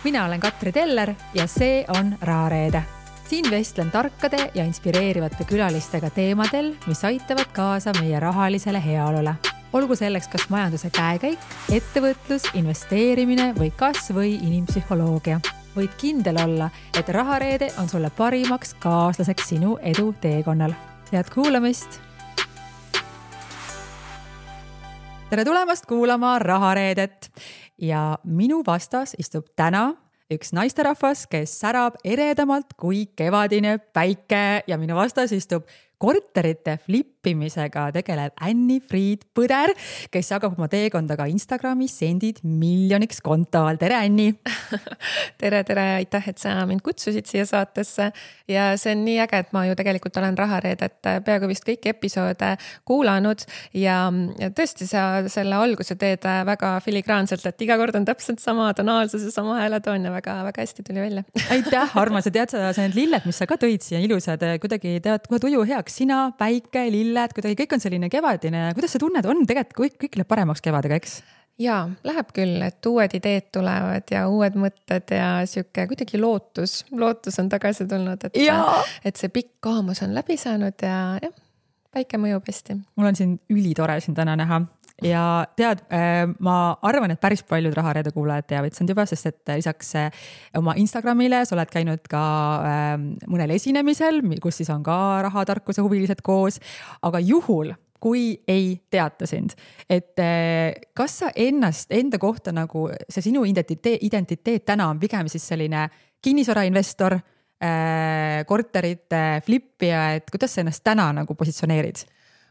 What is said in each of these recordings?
Mina olen Katri Teller ja see on Rahareede. Siin vestlen tarkade ja inspireerivate külalistega teemadel, mis aitavad kaasa meie rahalisele heaolule. Olgu selleks kas majanduse käekäik, ettevõtlus, investeerimine või kas või inimpsühholoogia. Võid kindel olla, et Rahareede on sulle parimaks kaaslaseks sinu edu teekonnal. Head kuulamist! Tere tulemast kuulama Rahareedet! Ja minu vastas istub täna üks naisterahvas, kes särab eredamalt kui kevadine päike ja minu vastas istub korterite flippimisega tegelev Anni-Friid Põder, kes jagab oma teekonda ka Instagramis sendid miljoniks kontal. Tere, Anni! Tere, aitäh, et sa mind kutsusid siia saatesse ja see on nii äge, et ma ju tegelikult olen Rahareedet peaaegu vist kõiki episoode kuulanud ja tõesti sa selle alguse teed väga filigraanselt, et iga kord on täpselt sama tonaalsus ja sama hääletoon ja väga hästi tuli välja. Aitäh, armas, ja tead sa need lilled, mis sa ka tõid siia ilusad, kuidagi tead kohe tuju heaks. Sina, päike, lilled, kuidagi kõik on selline kevadine. Kuidas sa tunned? On tegelikult kõik läheb paremaks kevadega, eks? Jaa, läheb küll, et uued ideed tulevad ja uued mõtted ja siuke kuidagi lootus on tagasi tulnud, et see pikk kaamus on läbi saanud ja päike mõjub hästi. Mul on siin ülitore siin täna näha. Ja tead, ma arvan, et päris paljud Rahareede kuulajad teavad sind juba, sest et lisaks oma Instagramile sa oled käinud ka mõnel esinemisel, kus siis on ka rahatarkuse huvilised koos, aga juhul, kui ei teata sind, et kas sa enda kohta nagu see sinu identiteet täna on pigem siis selline kinnisvarainvestor, korterite flippija, et kuidas sa ennast täna nagu positsioneerid?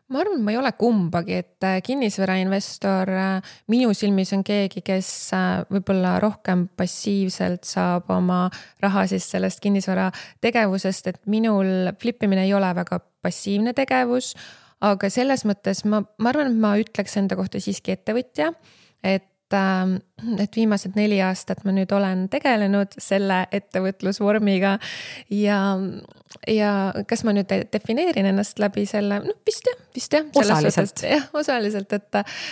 Ma arvan, et ma ei ole kumbagi, et kinnisvarainvestor minu silmis on keegi, kes võib-olla rohkem passiivselt saab oma raha siis sellest kinnisvara tegevusest, et minul flippimine ei ole väga passiivne tegevus, aga selles mõttes ma arvan, et ma ütleks enda kohta siiski ettevõtja, et viimased 4 aastat ma nüüd olen tegelenud selle ettevõtlusvormiga ja kas ma nüüd defineerin ennast läbi selle, vist jah. Osaliselt,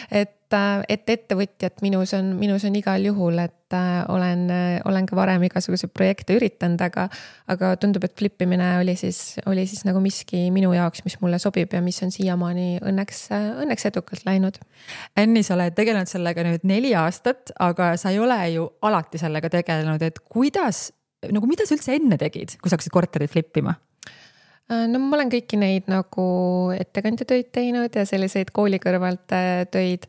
et ettevõtjat minus on igal juhul, et olen ka varem igasuguseid projekte üritanud, aga tundub, et flippimine oli siis nagu miski minu jaoks, mis mulle sobib ja mis on siiamaani õnneks edukalt läinud. Anni, sa oled tegelenud sellega nüüd 4 aastat, aga sa ei ole ju alati sellega tegelenud, et mida sa üldse enne tegid, kui sa hakkasid korterit flippima? No ma olen kõiki neid nagu ettekandjatöid teinud ja selliseid kooli kõrvalt töid,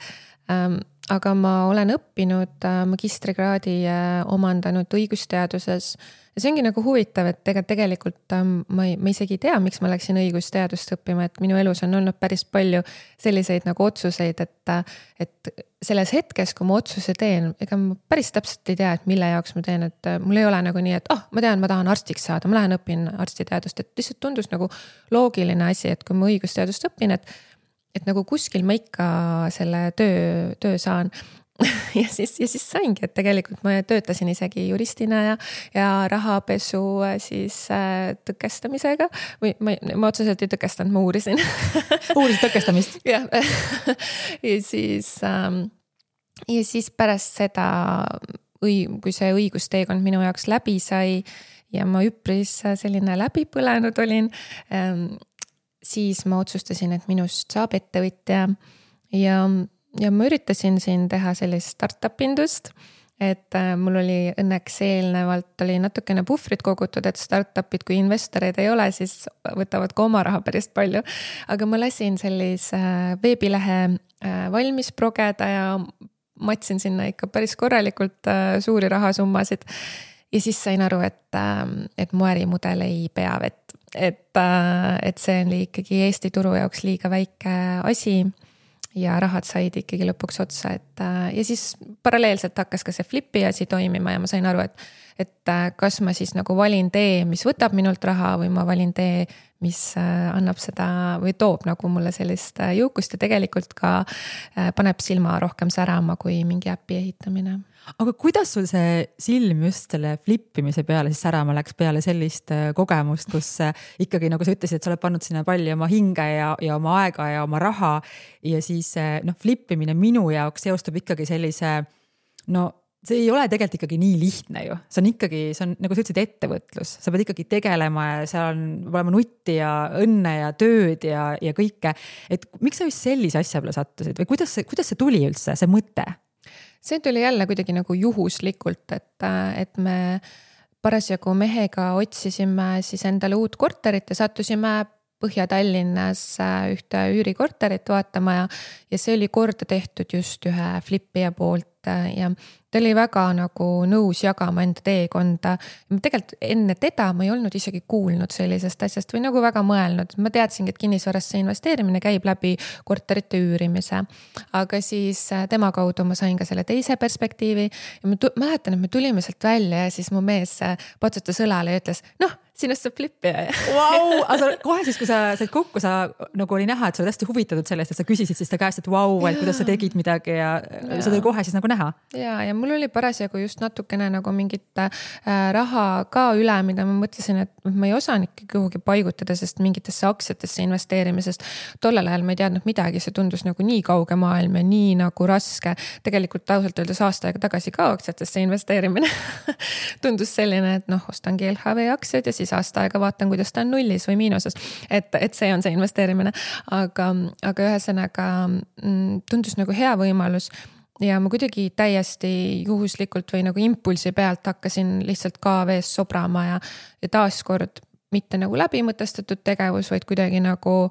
aga ma olen õppinud magistrikraadi omandanud õigusteaduses. Ja see ongi nagu huvitav, et tegelikult ma isegi ei tea, miks ma läksin õigusteadust õppima, et minu elus on olnud päris palju selliseid nagu otsuseid, et selles hetkes, kui ma otsuse teen, ega ma päris täpselt ei tea, et mille jaoks ma teen, et mul ei ole nagu nii, et ma tean, ma tahan arstiks saada, ma lähen õpin arstiteadust, et lihtsalt tundus nagu loogiline asi, et kui ma õigusteadust õpin, et nagu kuskil ma ikka selle töö saan. ja siis saingi, et tegelikult ma töötasin isegi juristina ja rahapesu siis tõkestamisega või ma otseselt ei tõkestanud, ma uurisin. Uurisid tõkestamist? Jah. Ja siis pärast seda, kui see õigusteekond minu jaoks läbi sai ja ma üpris selline läbipõlenud olin, siis ma otsustasin, et minust saab ettevõtja ja ma üritasin siin teha sellist startup-indust, et mul oli õnneks eelnevalt oli natukene puhvrit kogutud, et startupid, kui investoreid ei ole, siis võtavad ka oma raha päris palju. Aga ma lasin sellise veebilehe valmis progeda ja matsin sinna ikka päris korralikult suuri rahasummasid. Ja siis sain aru, et mu ärimudel ei pea vett. Et see on ikkagi Eesti turu jaoks liiga väike asi ja rahad said ikkagi lõpuks otsa. Ja siis paralleelselt hakkas ka see flippi asi toimima ja ma sain aru, et kas ma siis nagu valin tee, mis võtab minult raha või ma valin tee, mis annab seda või toob nagu mulle sellist jõukust ja tegelikult ka paneb silma rohkem särama kui mingi äppi ehitamine. Aga kuidas sul see silm just selle flippimise peale siis särama läks peale sellist kogemust, kus ikkagi nagu sa ütlesid, et sa oled pannud sinna palju oma hinge ja oma aega ja oma raha ja siis flippimine minu jaoks seostub ikkagi sellise see ei ole tegelikult ikkagi nii lihtne ju, see on nagu sa ütlesid, ettevõtlus, sa pead ikkagi tegelema ja seal on olema nutti ja õnne ja tööd ja kõike. Et miks sa just sellise asja peale sattusid või kuidas see tuli üldse, see mõte? See tuli jälle kuidagi nagu juhuslikult, et me parasjagu mehega otsisime siis endale uut korterit ja sattusime Põhja-Tallinnas ühte üürikorterit vaatama ja see oli korda tehtud just ühe flipija poolt ja ta oli väga nagu nõus jagama enda teekonda. Tegelikult enne teda ma ei olnud isegi kuulnud sellisest asjast või nagu väga mõelnud. Ma teadsingi, et kinnisvarasse investeerimine käib läbi korterite üürimise. Aga siis tema kaudu ma sain ka selle teise perspektiivi ja ma mäletan, et me tulime sealt välja ja siis mu mees patsutas õlale ja ütles, sinust saab flipija. Vau, aga kohe siis, kui sa said kokku, sa nagu oli näha, et sa oled hästi huvitatud sellest, et sa küsisid siis ta käest, et et kuidas sa tegid midagi ja sa tuli kohe siis nagu näha. Ja mul oli parasjagu just natukene nagu mingit raha ka üle, mida ma mõtlesin, et ma ei osanud kuhugi paigutada, sest mingitesse aktsiatesse investeerimisest. Tollel ajal ma ei teadnud midagi, see tundus nagu nii kauge maailm ja nii nagu raske. Tegelikult ausalt öeldes aasta aega tagasi ka aktsiatesse investeerimine tundus selline, et ostangi LHV aktsiad ja siis aasta aega vaatan, kuidas ta on nullis või miinuses, et see on see investeerimine. Aga ühesõnaga tundus nagu hea võimalus ja ma kuidagi täiesti juhuslikult või nagu impulsi pealt hakkasin lihtsalt KV-s sobrama ja taaskord mitte nagu läbimõtestatud tegevus, vaid kuidagi nagu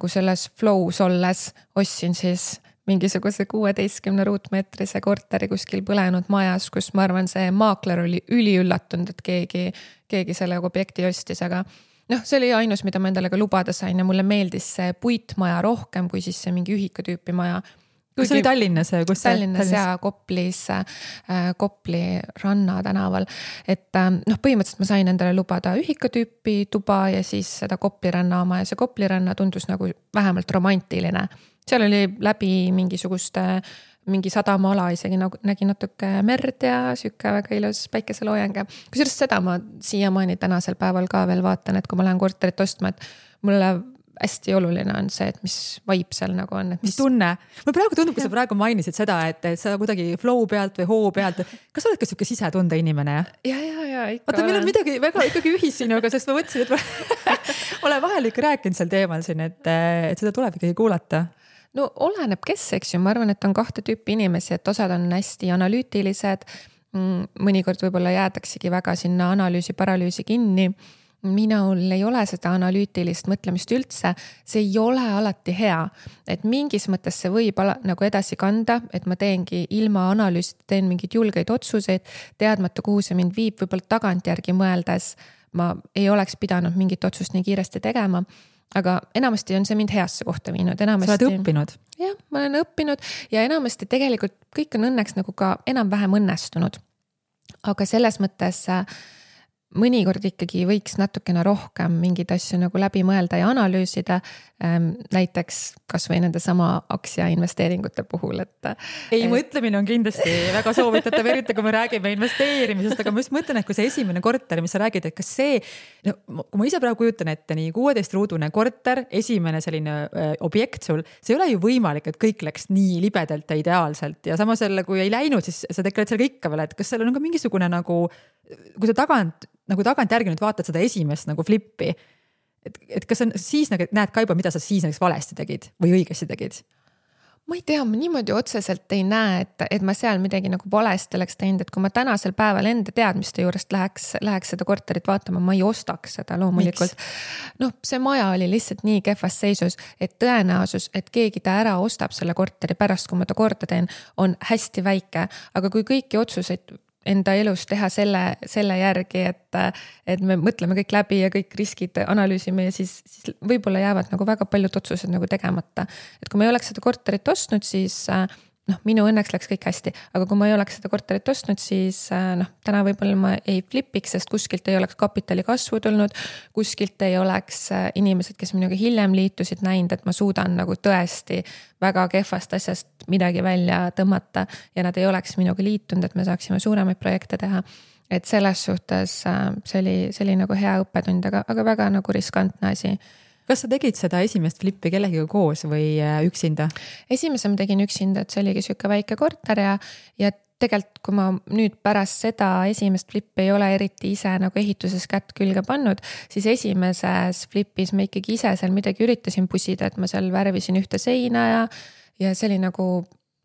selles flows olles ostsin siis mingisuguse 16 ruutmeetrise korteri kuskil põlenud majas, kus ma arvan, see maakler oli üliüllatunud, et keegi selle objekti ostis, aga see oli ainus, mida ma endale ka lubada sain ja mulle meeldis see puitmaja rohkem kui siis see mingi ühikaTüüpi maja. Kus oli Tallinnas? Tallinnas ja Kopli Ranna tänaval. Et põhimõtteliselt ma sain endale lubada ühikaTüüpi tuba ja siis seda Kopli Ranna oma ja see Kopli Ranna tundus nagu vähemalt romantiline. Seal oli läbi mingi sadamaala isegi nägi natuke merd ja sükke väga ilus päikeseloojang. Kusjuures seda ma siiamaani tänasel päeval ka veel vaatan, et kui ma lähen korterit ostma, et mulle hästi oluline on see, et mis vibe seal nagu on. Mis tunne? Mulle praegu tundub, kui sa praegu mainisid seda, et sa kuidagi flow pealt või hoo pealt, kas sa oled ka siuke sisetunde inimene? Ja, ikka. Oota, meil on midagi väga ikkagi ühissinuga, sest ma mõtlesin, et olen vahel ikka rääkinud seal teemal siin, et seda tuleb ikkagi kuulata. Oleneb kes, eks ju, ma arvan, et on kahte tüüpi inimesi, et osad on hästi analüütilised, mõnikord võib-olla jäädaksegi väga sinna analüüsi paralüüsi kinni. Minul ei ole seda analüütilist mõtlemist üldse, see ei ole alati hea, et mingis mõttes see võib nagu edasi kanda, et ma teengi ilma analüüsita, teen mingeid julgeid otsuseid, teadmata, kuhu see mind viib, võib-olla tagantjärgi mõeldes ma ei oleks pidanud mingit otsust nii kiiresti tegema. Aga enamasti on see mind heasse kohta viinud. Sa oled õppinud? Jah, ma olen õppinud ja enamasti tegelikult kõik on õnneks nagu ka enam-vähem õnnestunud. Aga selles mõttes mõnikord ikkagi võiks natukene rohkem mingid asju nagu läbi mõelda ja analüüsida. Näiteks kas või nende sama aktsia investeeringute puhul. Mõtlemine on kindlasti väga soovitatav, eriti kui me räägime investeerimisest, aga ma just mõtlen, et kui see esimene korter, mis sa räägid, et kas see, kui ma ise praegu kujutan ette, nii 16-ruudune korter, esimene selline objekt sul, see ei ole ju võimalik, et kõik läks nii libedalt ja ideaalselt ja samas jälle, kui ei läinud, siis sa tegeled sellega ikka veel, et kas seal on ka mingisugune nagu, kui sa tagant järgi nüüd vaatad seda esimest nagu flippi, et kas on siis näed ka juba, mida sa siis näiteks valesti tegid või õigesti tegid? Ma ei tea, ma niimoodi otseselt ei näe, et ma seal midagi nagu valesti oleks teinud, et kui ma tänasel päeval enda teadmiste juurest läheks seda korterit vaatama, ma ei ostaks seda loomulikult. See maja oli lihtsalt nii kehvas seisus, et tõenäosus, et keegi ta ära ostab selle korteri pärast, kui ma ta korda teen, on hästi väike, aga kui kõiki otsuseid enda elus teha selle järgi, et me mõtleme kõik läbi ja kõik riskid analüüsime ja siis võib-olla jäävad nagu väga paljud otsused nagu tegemata. Et kui ma ei oleks seda korterit ostnud, siis minu õnneks läks kõik hästi, aga kui ma ei oleks seda korterit ostnud, siis täna võib-olla ma ei flipiks, sest kuskilt ei oleks kapitali kasvu tulnud, kuskilt ei oleks inimesed, kes minuga hiljem liitusid näinud, et ma suudan nagu tõesti väga kehvast asjast midagi välja tõmmata ja nad ei oleks minuga liitunud, et me saaksime suuremaid projekte teha. Et selles suhtes see oli nagu hea õppetund, aga väga nagu riskantne asi. Kas sa tegid seda esimest flippi kellegiga koos või üksinda? Esimese ma tegin üksinda, et see oligi siuke väike korter ja tegelikult, kui ma nüüd pärast seda esimest flippi ei ole eriti ise nagu ehituses kätt külge pannud, siis esimeses flipis ma ikkagi ise seal midagi üritasin pusida, et ma seal värvisin ühte seina ja see oli nagu,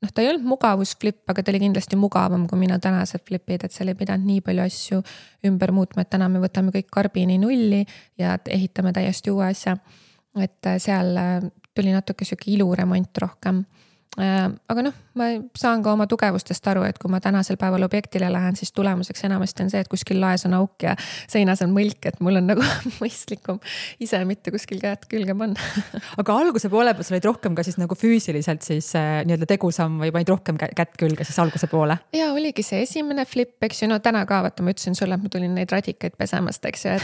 ta ei olnud mugavusflip, aga ta oli kindlasti mugavam kui minu tänased flipid, et seal ei pidanud nii palju asju ümber muutma, et täna me võtame kõik karbini nulli ja ehitame täiesti uue asja. Et seal tuli natuke siuke iluremont rohkem. Aga ma saan ka oma tugevustest aru, et kui ma tänasel päeval objektile lähen, siis tulemuseks enamasti on see, et kuskil laes on auk ja seinas on mõlk, et mul on nagu mõistlikum ise mitte kuskil käed külge panna. Aga alguse poole peal sa olid rohkem ka siis nagu füüsiliselt siis nii-öelda tegusam või panid rohkem kätt külge siis alguse poole? Ja oligi see esimene flip, eks ju, täna ka vaata, ma ütlesin sulle, et ma tulin neid radikaid pesemast, eks ju,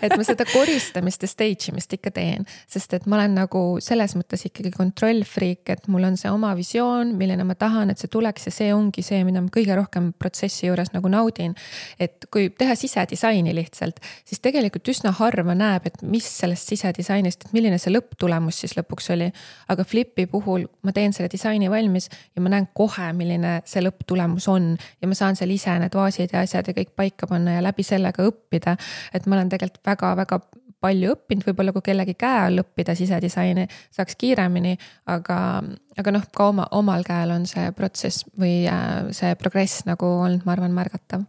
et ma seda koristamist ja stage imist ikka teen, sest et ma olen nagu selles mõttes ikkagi kontrollfriik, et mul on see oma visioon, milline ma tahan, et see tuleks ja see ongi see, mida ma kõige rohkem protsessi juures nagu naudin. Et kui teha sisedisaini lihtsalt, siis tegelikult üsna harva näeb, et mis sellest sisedisainist, et milline see lõpptulemus siis lõpuks oli. Aga flipi puhul ma teen selle disaini valmis ja ma näen kohe, milline see lõpptulemus on ja ma saan seal ise need vaasid ja asjad ja kõik paika panna ja läbi sellega õppida. Et ma olen tegelikult väga-väga palju õppinud, võib-olla kui kellegi käe all õppida sisedisaini, saaks kiiremini, aga ka omal käel on see protsess või see progress nagu olnud, ma arvan, märgatav.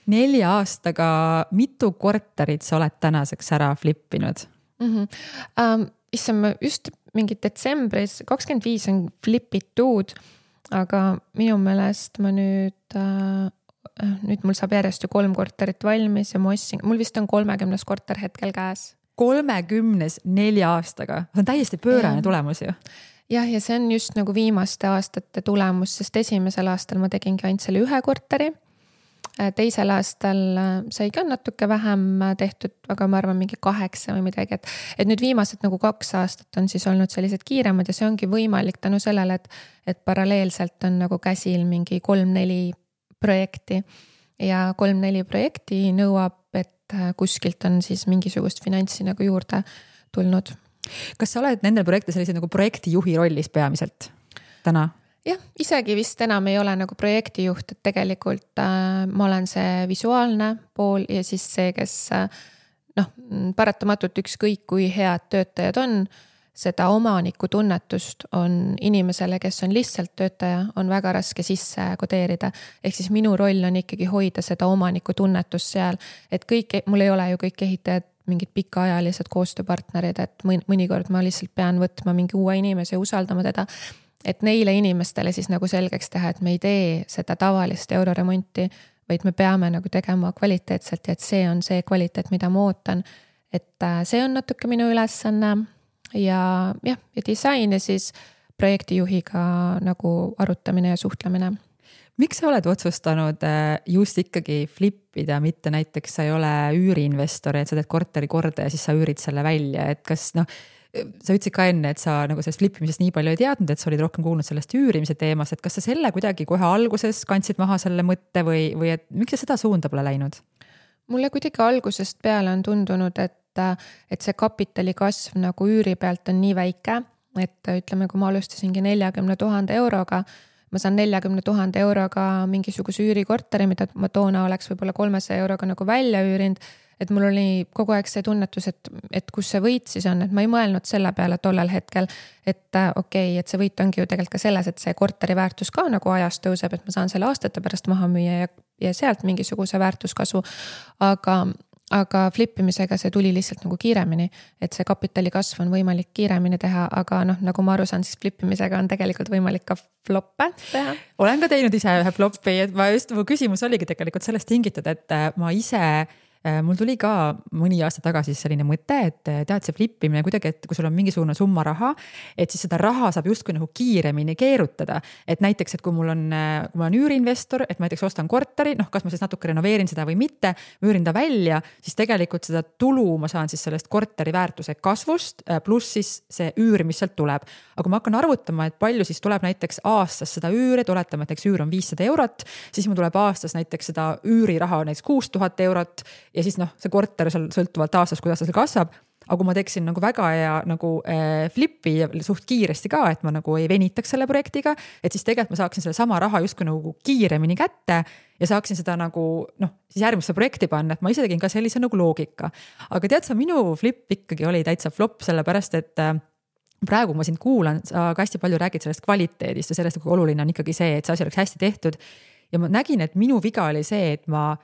4 aastaga mitu korterit sa oled tänaseks ära flippinud? Issand, ma just mingi detsembris 25 on flipitud, aga minu meelest ma nüüd mul saab järjest ju 3 korterit valmis ja mul vist on 30 korter hetkel käes. 34 aastaga? See on täiesti pöörane tulemus ju. Jah, ja see on just nagu viimaste aastate tulemus, sest esimesel aastal ma tegingi ainult selle 1 korteri. Teisel aastal sai ka natuke vähem tehtud, aga ma arvan mingi 8 või midagi, et nüüd viimased nagu 2 aastat on siis olnud sellised kiiremad ja see ongi võimalik tänu sellele, et paralleelselt on nagu käsil mingi 3-4 projekti ja 3-4 projekti nõuab, et kuskilt on siis mingisugust finantsi nagu juurde tulnud. Kas sa oled nendel projekte sellise nagu projektijuhi rollis peamiselt täna? Jah, isegi vist enam ei ole nagu projektijuht, et tegelikult ma olen see visuaalne pool ja siis see, kes paratamatult ükskõik kui head töötajad on, seda omaniku tunnetust on inimesele, kes on lihtsalt töötaja, on väga raske sisse kodeerida. Ehk siis minu roll on ikkagi hoida seda omaniku tunnetust seal, et mul ei ole ju kõik ehitajad mingid pikaajalised koostööpartnerid, et mõnikord ma lihtsalt pean võtma mingi uue inimese ja usaldama teda, et neile inimestele siis nagu selgeks teha, et me ei tee seda tavalist euroremonti, vaid me peame nagu tegema kvaliteetselt ja et see on see kvaliteet, mida ma ootan. Et see on natuke minu ülesanne. Ja disain ja siis projektijuhiga nagu arutamine ja suhtlemine. Miks sa oled otsustanud just ikkagi flippida, mitte näiteks sa ei ole üüriinvestor, et sa teed korteri korda ja siis sa üürid selle välja, et kas sa ütlesid ka enne, et sa nagu sellest flippimisest nii palju ei teadnud, et sa olid rohkem kuulnud sellest üürimise teemast, et kas sa selle kuidagi kohe alguses kandsid maha selle mõtte või et miks sa seda suunda pole läinud? Mulle kuidagi algusest peale on tundunud, et see kapitali kasv nagu üüri pealt on nii väike, et ütleme, kui ma alustasingi 40 000 euroga, ma saan 40 000 euroga mingisuguse üürikorteri, mida ma toona oleks võib-olla 300 euroga nagu välja üürinud, et mul oli kogu aeg see tunnetus, et kus see võit siis on, et ma ei mõelnud selle peale tollel hetkel, et okei, et see võit ongi ju tegelikult ka selles, et see korteri väärtus ka nagu ajas tõuseb, et ma saan selle aastate pärast maha müüa ja sealt mingisuguse väärtuskasu, aga flippimisega see tuli lihtsalt nagu kiiremini, et see kapitali kasv on võimalik kiiremini teha, aga nagu ma aru saan, siis flippimisega on tegelikult võimalik ka floppe teha. Olen ka teinud ise ühe floppi, et mu küsimus oligi tegelikult sellest tingitud, et ma ise mul tuli ka mõni aasta tagasi selline mõte, et tead see flippimine kuidagi, et kui sul on mingisugune summa raha, et siis seda raha saab justkui nagu kiiremini keerutada. Et näiteks, et kui mul on üüriinvestor, et ma näiteks ostan korteri, kas ma siis natuke renoveerin seda või mitte, müürin ta välja, siis tegelikult seda tulu ma saan siis sellest korteri väärtuse kasvust, pluss siis see üür, mis sealt tuleb. Aga kui ma hakkan arvutama, et palju siis tuleb näiteks aastas seda üüri, et oletame, et näiteks üür on 500 eurot, siis mul tuleb aastas näiteks seda üüriraha näiteks 6000 eurot ja siis see korter seal sõltuvalt aastast, kuidas see kasvab. aga kui ma teeksin nagu väga hea nagu flipi ja suht kiiresti ka, et ma nagu ei venitaks selle projektiga, et siis tegelikult ma saaksin selle sama raha justkui nagu kiiremini kätte ja saaksin seda nagu siis järgmisse projekti panna, et ma ise tegin ka sellise nagu loogika. Aga tead sa, minu flip ikkagi oli täitsa flop, sellepärast et praegu ma sind kuulan, sa ka hästi palju räägid sellest kvaliteedist ja sellest, kui oluline on ikkagi see, et see asi oleks hästi tehtud. Ja ma nägin, et minu viga oli see, et ma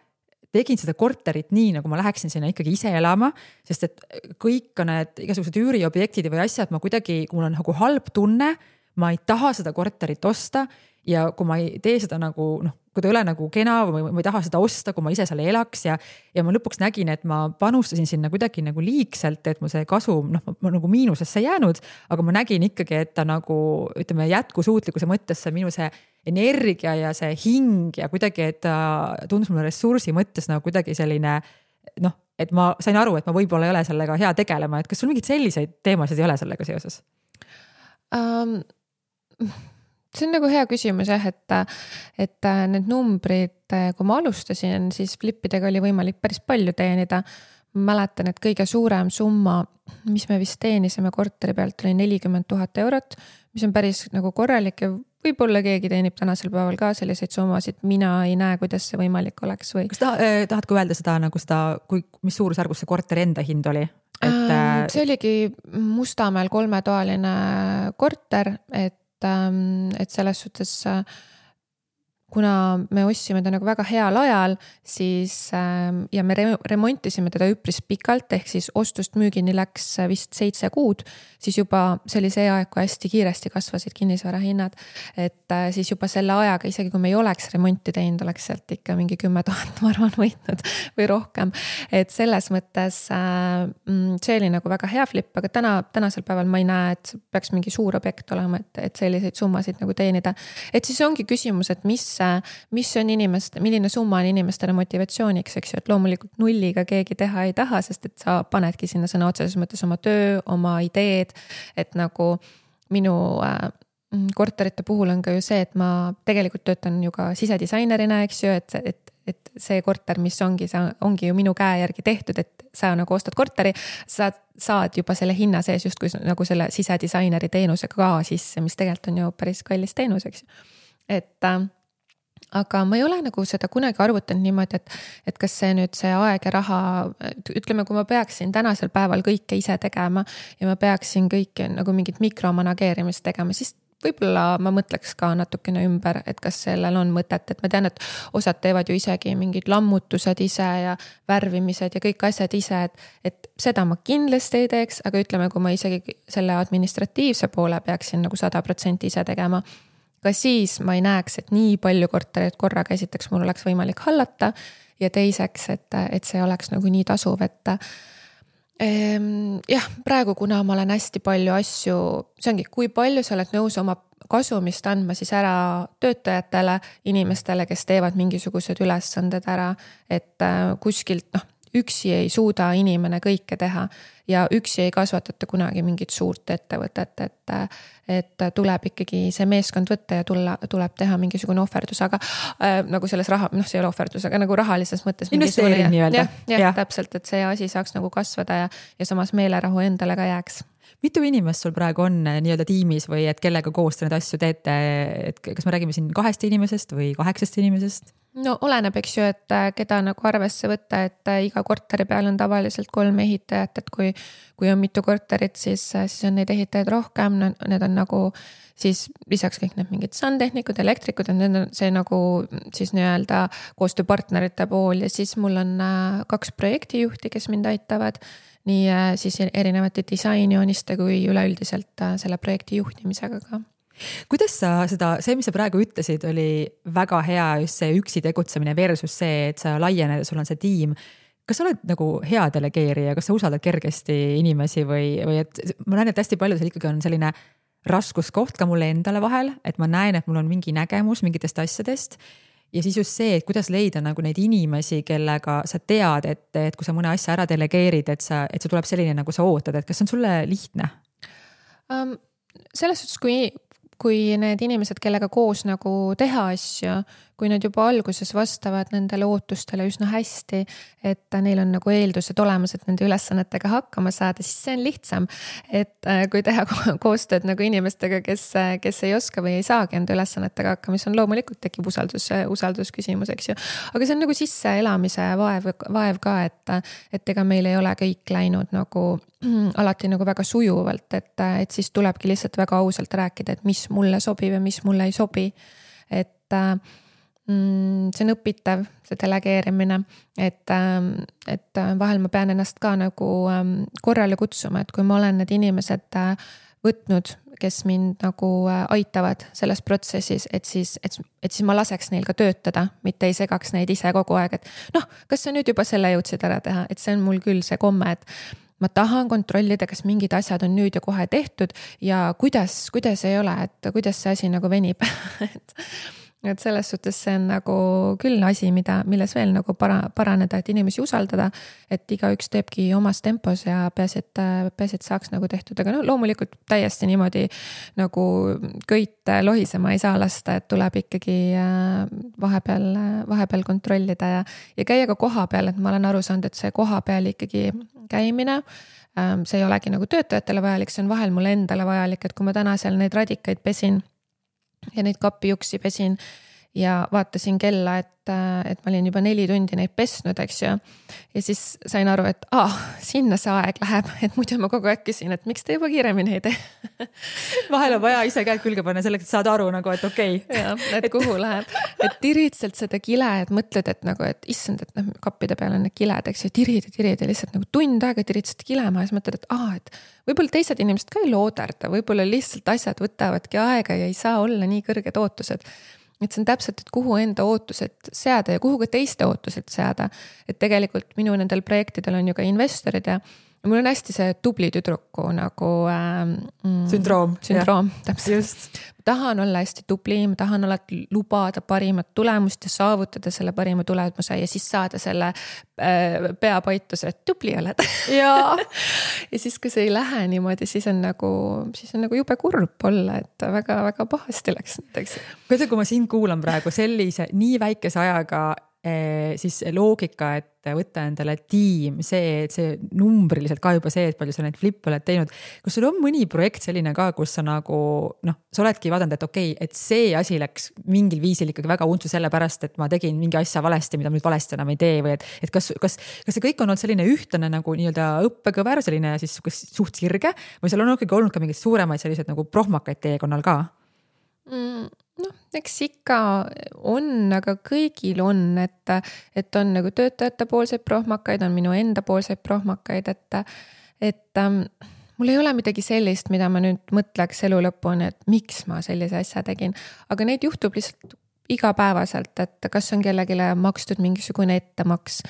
tegin seda korterit nii, nagu ma läheksin sinna ikkagi ise elama, sest et kõik need igasugused üüriobjektid või asjad, ma kuidagi, kui mul on nagu halb tunne, ma ei taha seda korterit osta ja kui ma ei tee seda nagu, kui ta ei ole nagu kena või ma ei taha seda osta, kui ma ise seal elaks ja ma lõpuks nägin, et ma panustasin sinna kuidagi nagu liigselt, et mu see kasum, ma nagu miinusesse jäänud, aga ma nägin ikkagi, et ta nagu, ütleme, jätkusuutlikkuse mõttes see minu see energia ja see hing ja kuidagi, et ta tundus mulle ressursi mõttes nagu kuidagi selline, et ma sain aru, et ma võib-olla ei ole sellega hea tegelema, et kas sul mingid selliseid teemasid ei ole sellega seoses? See on nagu hea küsimus jah, et need numbrid, kui ma alustasin, siis flippidega oli võimalik päris palju teenida. Ma mäletan, et kõige suurem summa, mis me vist teenisime korteri pealt, oli 40 000 eurot, mis on päris nagu korralik ja võib-olla keegi teenib tänasel päeval ka selliseid summasid. Mina ei näe, kuidas see võimalik oleks või. Kas tahadki öelda seda, nagu seda, mis suurusjärgus see korteri enda hind oli? See oligi Mustamäel 3-toaline korter, et selles suhtes, kuna me ostsime ta nagu väga heal ajal, siis ja me remontisime teda üpris pikalt, ehk siis ostust müügini läks vist 7 kuud, siis juba see oli see aeg, kui hästi kiiresti kasvasid kinnisvara hinnad, et siis juba selle ajaga, isegi kui me ei oleks remonti teinud, oleks sealt ikka mingi 10 000 ma arvan võitnud või rohkem, et selles mõttes see oli nagu väga hea flip, aga tänasel päeval ma ei näe, et peaks mingi suur objekt olema, et selliseid summasid nagu teenida, et siis ongi küsimus, et mis on milline summa on inimestele motivatsiooniks, eks ju, et loomulikult nulliga keegi teha ei taha, sest et sa panedki sinna sõna otseses mõttes oma töö, oma ideed, et nagu minu korterite puhul on ka ju see, et ma tegelikult töötan ju ka sisedisainerina, eks ju, et see korter, mis ongi ju minu käe järgi tehtud, et sa nagu ostad korteri, sa saad juba selle hinna sees justkui nagu selle sisedisaineri teenusega ka sisse, mis tegelikult on ju päris kallis teenus, eks ju. Aga ma ei ole nagu seda kunagi arvutanud niimoodi, et kas see nüüd see aeg ja raha, ütleme, kui ma peaksin tänasel päeval kõike ise tegema ja ma peaksin kõike nagu mingit mikromanageerimist tegema, siis võib-olla ma mõtleks ka natukene ümber, et kas sellel on mõtet, et ma tean, et osad teevad ju isegi mingid lammutused ise ja värvimised ja kõik asjad ise, et seda ma kindlasti ei teeks, aga ütleme, kui ma isegi selle administratiivse poole peaksin nagu 100% ise tegema, ka siis ma ei näeks, et nii palju kortereid korraga esiteks mul oleks võimalik hallata ja teiseks, et see oleks nagu nii tasuv, et jah, praegu kuna ma olen hästi palju asju, see ongi, kui palju sa oled nõus oma kasumist andma siis ära töötajatele, inimestele, kes teevad mingisugused ülesanded ära, et kuskilt üksi ei suuda inimene kõike teha ja üksi ei kasvatata kunagi mingit suurt ettevõtet, et tuleb ikkagi see meeskond võtta ja tuleb teha mingisugune ohverdus, aga nagu selles raha, see ei ole ohverdus, aga nagu rahalises mõttes. Investeering nii-öelda. Ja, täpselt, et see asi saaks nagu kasvada ja samas meelerahu endale ka jääks. Mitu inimest sul praegu on nii-öelda tiimis või et kellega koos te need asju teete, et kas me räägime siin 2 inimesest või 8 inimesest? No oleneb, eks ju, et keda nagu arvesse võtta, et iga korteri peal on tavaliselt 3 ehitajat, et kui on mitu korterit, siis on neid ehitajaid rohkem, need on nagu siis lisaks kõik need mingid sandtehnikud, elektrikud, need on see nagu siis nii-öelda koostööpartnerite pool ja siis mul on 2 projektijuhti, kes mind aitavad, nii siis erinevate disainjooniste kui üleüldiselt selle projekti juhtimisega ka. Kuidas sa see, mis sa praegu ütlesid, oli väga hea just see üksi tegutsemine versus see, et sa laiened, sul on see tiim. Kas sa oled nagu hea delegeerija, kas sa usaldad kergesti inimesi või et ma näen, et hästi palju seal ikkagi on selline raskuskoht ka mulle endale vahel, et ma näen, et mul on mingi nägemus mingitest asjadest ja siis just see, et kuidas leida nagu neid inimesi, kellega sa tead, et kui sa mõne asja ära delegeerid, et see tuleb selline, nagu sa ootad, et kas see on sulle lihtne? Selles suhtes, kui need inimesed, kellega koos nagu teha asju, kui nad juba alguses vastavad nendele ootustele üsna hästi, et neil on nagu eeldused olemas, et nende ülesannetega hakkama saada, siis see on lihtsam. Et kui teha koostööd nagu inimestega, kes ei oska või ei saagi enda ülesannetega hakkama, mis on loomulikult tekib usaldusküsimus, eks ju. Aga see on nagu sisseelamise vaev ka, et ega meil ei ole kõik läinud nagu alati nagu väga sujuvalt, et siis tulebki lihtsalt väga ausalt rääkida, et mis mulle sobib ja mis mulle ei sobi. Et see on õpitav, see delegeerimine, et vahel ma pean ennast ka nagu korrale kutsuma, et kui ma olen need inimesed võtnud, kes mind nagu aitavad selles protsessis, et siis ma laseks neil ka töötada, mitte ei segaks neid ise kogu aeg, et noh, kas sa nüüd juba selle jõudsid ära teha, et see on mul küll see komme, et ma tahan kontrollida, kas mingid asjad on nüüd ja kohe tehtud ja kuidas ei ole, et kuidas see asi nagu venib. Et selles suhtes see on nagu küll asi, milles veel nagu paraneda, et inimesi usaldada, et igaüks teebki omas tempos ja peaasi, et saaks nagu tehtud, aga loomulikult täiesti niimoodi nagu köit lohisema ei saa lasta, et tuleb ikkagi vahepeal kontrollida ja käia ka koha peal, et ma olen aru saanud, et see koha peal ikkagi käimine, see ei olegi nagu töötajatele vajalik, see on vahel mulle endale vajalik, et kui ma täna seal neid radikaid pesin ja neid kapijuksi pesin ja vaatasin kella, et ma olin juba 4 tundi neid pesnud, eks ju. Ja siis sain aru, et sinna see aeg läheb, et muidu ma kogu aeg küsin, et miks te juba kiiremini ei tee. Vahel on vaja ise käed külge panna selleks, et saada aru nagu, et okei. Ja, et kuhu läheb. Et tirid sealt seda kile, et mõtled, et nagu, et issand, et kappide peal on need kiled, eks ju, tirid ja lihtsalt nagu tund aega tirid seda kilema ja siis mõtled, et võib-olla teised inimesed ka ei looderda, võib-olla lihtsalt asjad võtavadki aega ja ei saa olla nii kõrged ootused. Et see on täpselt, et kuhu enda ootused seada ja kuhu ka teiste ootused seada. Et tegelikult minu nendel projektidel on ju ka investorid ja mul on hästi see tubli tüdruku nagu sündroom, täpselt. Just. Ma tahan olla hästi tubli, ma tahan alati lubada parimat tulemust ja saavutada selle parima tulemuse ja siis saada selle peapaituse, et tubli oled. Ja siis, kui see ei lähe niimoodi, siis on nagu jube kurb olla, et väga-väga pahasti läks näiteks. Kui ma sind kuulan praegu sellise nii väikese ajaga siis loogika, et võtta endale tiim, see numbriliselt ka juba see, et palju sa neid flippe oled teinud. Kus sul on mõni projekt selline ka, kus sa nagu, sa oledki vaadanud, et okei, et see asi läks mingil viisil ikkagi väga untsu selle pärast, et ma tegin mingi asja valesti, mida nüüd valesti enam ei tee või et kas see kõik on olnud selline ühtne nagu nii-öelda õppekõver, selline siis suht sirge või seal on ikkagi olnud ka mingeid suuremaid sellised nagu prohmakaid teekonnal ka? Eks ikka on, aga kõigil on, et on nagu töötajate poolseid prohmakaid, on minu enda poolseid prohmakaid, et mul ei ole midagi sellist, mida ma nüüd mõtleks elu lõpuni, et miks ma sellise asja tegin, aga neid juhtub lihtsalt igapäevaselt, et kas on kellegile makstud mingisugune ettemaks,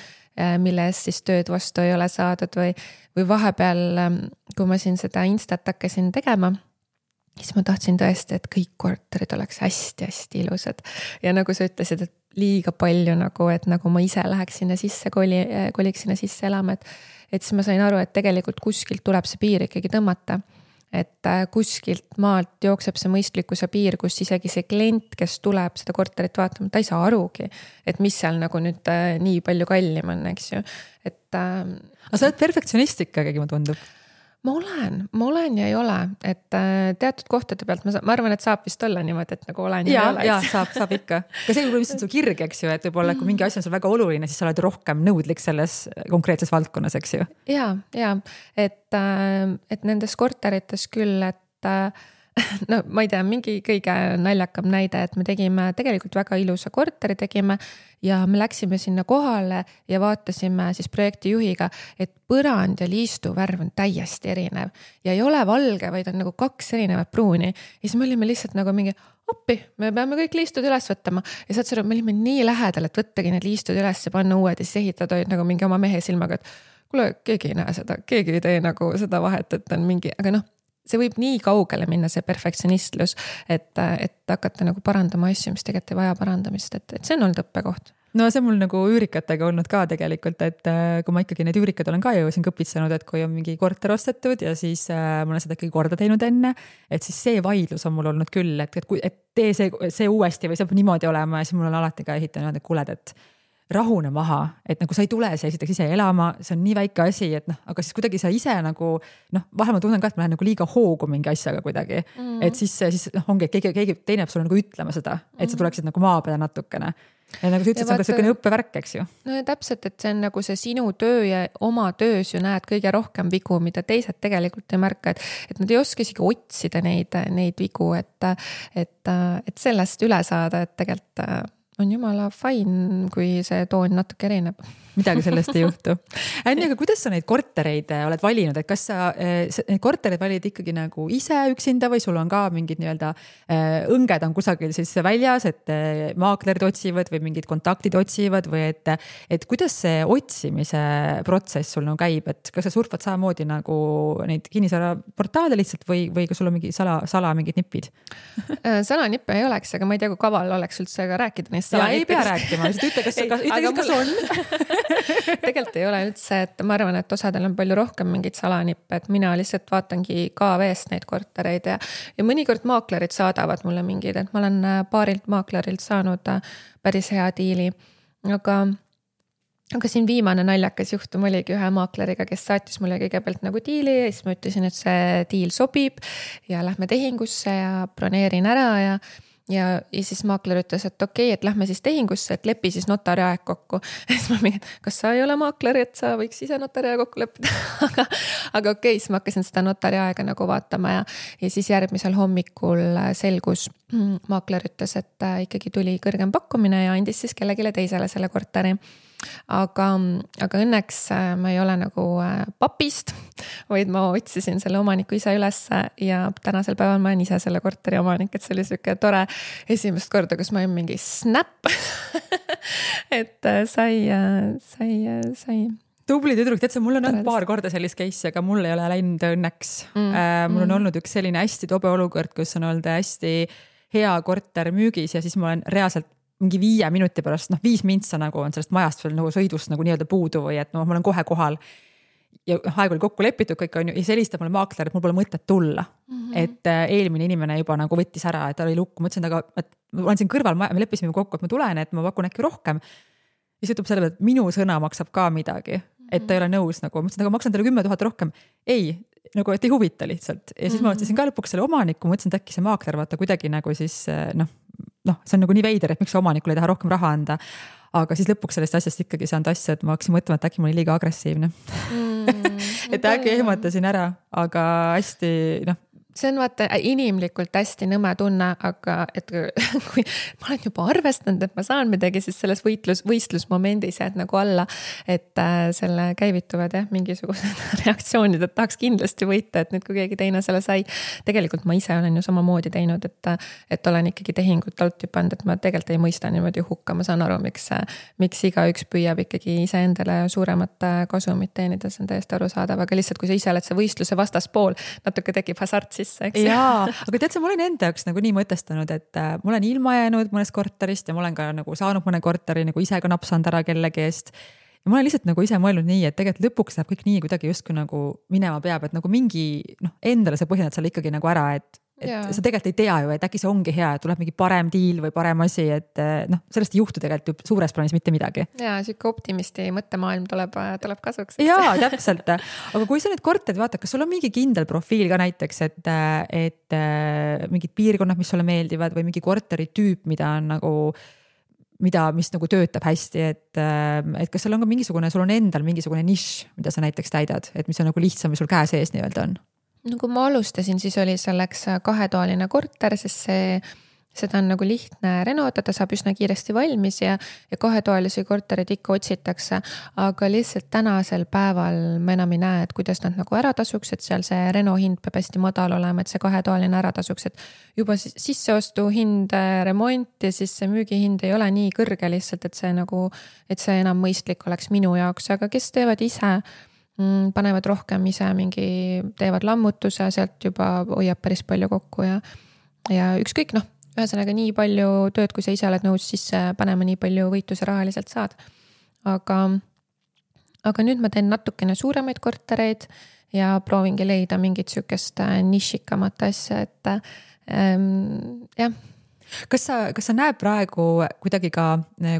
mille eest siis tööd vastu ei ole saadud või vahepeal, kui ma siin seda Instat hakkasin tegema, siis ma tahtsin tõesti, et kõik korterid oleks hästi-hästi ilusad. Ja nagu sa ütlesid, et liiga palju nagu, et nagu ma ise läheks sinna sisse, koliks sinna sisse elama, et siis ma sain aru, et tegelikult kuskilt tuleb see piir ikkagi tõmmata. Et kuskilt maalt jookseb see mõistlikkuse piir, kus isegi see klient, kes tuleb seda korterit vaatama, ta ei saa arugi, et mis seal nagu nüüd nii palju kallim on, eks ju. Aga sa oled perfektsionist ikkagi, ma tundub. Ma olen ja ei ole, et teatud kohtade pealt ma arvan, et saab vist olla niimoodi, et nagu olen ja ei ole. Ja saab ikka. Ka see võib olla su kirg, eks ju, et võib-olla kui mingi asi on sul väga oluline, siis sa oled rohkem nõudlik selles konkreetses valdkonnas, eks ju. Ja, et nendes korterites küll, et ma ei tea, mingi kõige naljakam näide, et me tegime tegelikult väga ilusa korteri tegime ja me läksime sinna kohale ja vaatasime siis projekti juhiga, et põrand ja liistu värv on täiesti erinev ja ei ole valge, vaid on nagu 2 erinevat pruuni. Ja siis me olime lihtsalt nagu mingi appi, me peame kõik liistud üles võttama ja saad sõnum, me olime nii lähedal, et võttagi need liistud üles ja panna uued ja siis ehitada olid nagu mingi oma mehe silmaga, et kuule, keegi ei näe seda, keegi ei tee nagu seda vahet, et on mingi, aga see võib nii kaugele minna, see perfektsionistlus, et hakata nagu parandama asju, mis tegelikult ei vaja parandamist, et see on olnud õppekoht. no see mul nagu üürikatega olnud ka tegelikult, et kui ma ikkagi need üürikad olen ka ju siin kõpitsanud, et kui on mingi korter ostetud ja siis ma olen seda ikkagi korda teinud enne, et siis see vaidlus on mul olnud küll, et tee see uuesti või see peab niimoodi olema ja siis mul on alati ka ehitanud, et kuuled, et rahune maha, et nagu sa ei tule siia esiteks ise elama, see on nii väike asi, et noh, aga siis kuidagi sa ise nagu vahel ma tunnen ka, et ma lähen nagu liiga hoogu mingi asjaga kuidagi, et siis ongi, et keegi teine peab sulle nagu ütlema seda, et sa tuleksid nagu maa peale natukene. Ja nagu sa ütlesid, see on ka selline õppevärk, eks ju. No ja täpselt, et see on nagu see sinu töö ja oma töös ju näed kõige rohkem vigu, mida teised tegelikult ei märka, et nad ei oska isegi otsida neid vigu, et sellest üle saada, et tegelikult on jumala fine, kui see toon natuke erineb. Midagi sellest ei juhtu. Anni, aga kuidas sa neid kortereid oled valinud, et kas sa neid kortereid valid ikkagi nagu ise üksinda või sul on ka mingid nii-öelda õnged on kusagil siis väljas, et maaklerid otsivad või mingid kontaktid otsivad või et kuidas see otsimise protsess sul nagu käib, et kas sa surfad samamoodi nagu neid kinnisvaraportaale lihtsalt või kas sul on mingi sala mingid nipid? Salanippe ei oleks, aga ma ei tea, kui kaval oleks üldse ka rääkida neist salanippidest. Ja ei pea rääkima, ütle, kas on. Tegelikult ei ole üldse, et ma arvan, et osadel on palju rohkem mingid salanippe, et mina lihtsalt vaatangi KV-st neid kortereid ja mõnikord maaklerid saadavad mulle mingid, et ma olen paarilt maaklerilt saanud päris hea diili, aga siin viimane naljakas juhtum oligi ühe maakleriga, kes saatis mulle kõigepealt nagu diili ja siis ma ütlesin, et see diil sobib ja lähme tehingusse ja broneerin ära ja siis maakler ütles, et okei, et lähme siis tehingusse, et lepi siis notari aeg kokku. Ja siis ma mingin, kas sa ei ole maakler, et sa võiks ise notari aeg kokku leppida? aga okei, siis ma hakkasin seda notari aega nagu vaatama ja siis järgmisel hommikul selgus, maakler ütles, et ikkagi tuli kõrgem pakkumine ja andis siis kellegile teisele selle korteri. Aga õnneks ma ei ole nagu papist, vaid ma otsisin selle omaniku ise üles ja tänasel päeval ma olen ise selle korteri omanik, et see oli selline tore esimest korda, kus ma olin mingi snap et sai tubli tüdruk, tead sa, mul on olnud paar korda sellist case'i, aga mul ei ole läinud õnneks. Mul on olnud üks selline hästi tobe olukord, kus on olnud hästi hea korter müügis ja siis ma olen reaalselt mingi 5 minuti pärast, 5 mintsa nagu on sellest majast veel nagu sõidust nagu nii-öelda puudu või et ma olen kohe kohal ja aeg oli kokku lepitud kõik on ju ja siis helistab mulle maakler, et mul pole mõtet tulla. Et eelmine inimene juba nagu võttis ära, et ta oli lukku, mõtlesin, aga ma olen siin kõrval, me leppisime kokku, et ma tulen, et ma pakun äkki rohkem. Ja siis ütleb selle peale, et minu sõna maksab ka midagi, et ta ei ole nõus nagu, mõtlesin, aga maksan teile 10 000 rohkem. Ei, nagu et ei huvita lihtsalt. Ja siis ma mõtlesin ka lõpuks selle omaniku, mõtlesin, et äkki see maakler vaata kuidagi nagu siis see on nagu nii veider, et miks see omanikule ei taha rohkem raha anda. Aga siis lõpuks sellest asjast ikkagi saanud asja, et ma hakkasin mõtlema, et äkki ma olin liiga agressiivne. Et äkki ehmatasin ära, aga hästi, see on vaata inimlikult hästi nõme tunne, aga et kui ma olen juba arvestanud, et ma saan midagi, siis selles võistlusmomendis jääd nagu alla, et selle käivituvad mingisugused reaktsioonid, et tahaks kindlasti võita, et nüüd kui keegi teine selle sai. Tegelikult ma ise olen ju samamoodi teinud, et olen ikkagi tehingut alt tüpanud, et ma tegelikult ei mõista niimoodi hukka, ma saan aru, miks igaüks püüab ikkagi ise endale suuremat kasumit teenida, see on täiesti arusaadav, aga lihtsalt kui sa ise oled see võistluse vastaspool, natuke tekib hasart siis. Jaa, aga tead sa, ma olen enda jaoks nagu nii mõtestanud, et ma olen ilma jäänud mõnest korterist ja ma olen ka nagu saanud mõne korteri nagu ise ka napsanud ära kellegi eest. Ja ma olen lihtsalt nagu ise mõelnud nii, et tegelikult lõpuks läheb kõik nii kuidagi justkui nagu minema peab, et nagu mingi endale sa põhjendad seal ikkagi nagu ära, et sa tegelikult ei tea ju, et äkki see ongi hea, et tuleb mingi parem diil või parem asi, et sellest ei juhtu tegelikult ju suures plaanis mitte midagi. Jaa, siuke optimisti mõttemaailm tuleb kasuks. Jaa, täpselt. Aga kui sa need korterid vaatad, kas sul on mingi kindel profiil ka näiteks, et mingid piirkonnad, mis sulle meeldivad või mingi korteri tüüp, mis nagu töötab hästi, et kas sul on ka sul on endal mingisugune nišš, mida sa näiteks täidad, et mis on nagu lihtsam või sul käe sees nii-öelda on? No kui ma alustasin, siis oli selleks 2-toaline korter, sest seda on nagu lihtne renotada, saab üsna kiiresti valmis ja 2-toalisi korterid ikka otsitakse, aga lihtsalt tänasel päeval ma enam ei näe, et kuidas nad nagu ära tasuks, et seal see reno hind peab hästi madal olema, et see 2-toaline ära tasuks, et juba sisseostu hind, remont ja siis see müügihind ei ole nii kõrge lihtsalt, et see enam mõistlik oleks minu jaoks, aga kes teevad ise, panevad rohkem ise teevad lammutuse, sealt juba hoiab päris palju kokku ja ükskõik ühesõnaga nii palju tööd, kui sa ise oled nõus sisse panema, nii palju võitu sa rahaliselt saad. Aga nüüd ma teen natukene suuremaid kortereid ja proovingi leida mingit sükest nišikamat asja, et jah. Kas sa näed praegu kuidagi ka,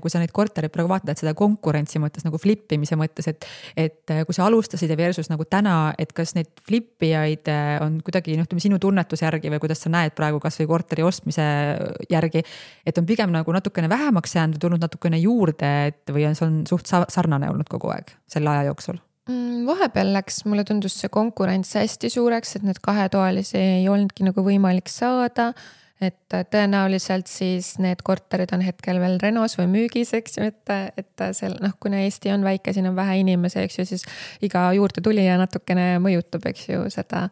kui sa neid korterid praegu vaatad, et seda konkurentsi mõttes nagu flippimise mõttes, et kui sa alustasid ja versus nagu täna, et kas neid flippijaid on kuidagi sinu tunnetuse järgi või kuidas sa näed praegu kas või korteri ostmise järgi, et on pigem nagu natukene vähemaks jäänud, tulnud natukene juurde, et või on see on suht sarnane olnud kogu aeg selle aja jooksul? Vahepeal läks, mulle tundus see konkurents hästi suureks, et need kahetoalisi ei olnudki nagu võimalik saada. Et tõenäoliselt siis need korterid on hetkel veel renos või müügis, eks ju, et kuna Eesti on väike, siin on vähe inimesi, eks ju, siis iga juurde tulija natukene mõjutab, eks ju, seda,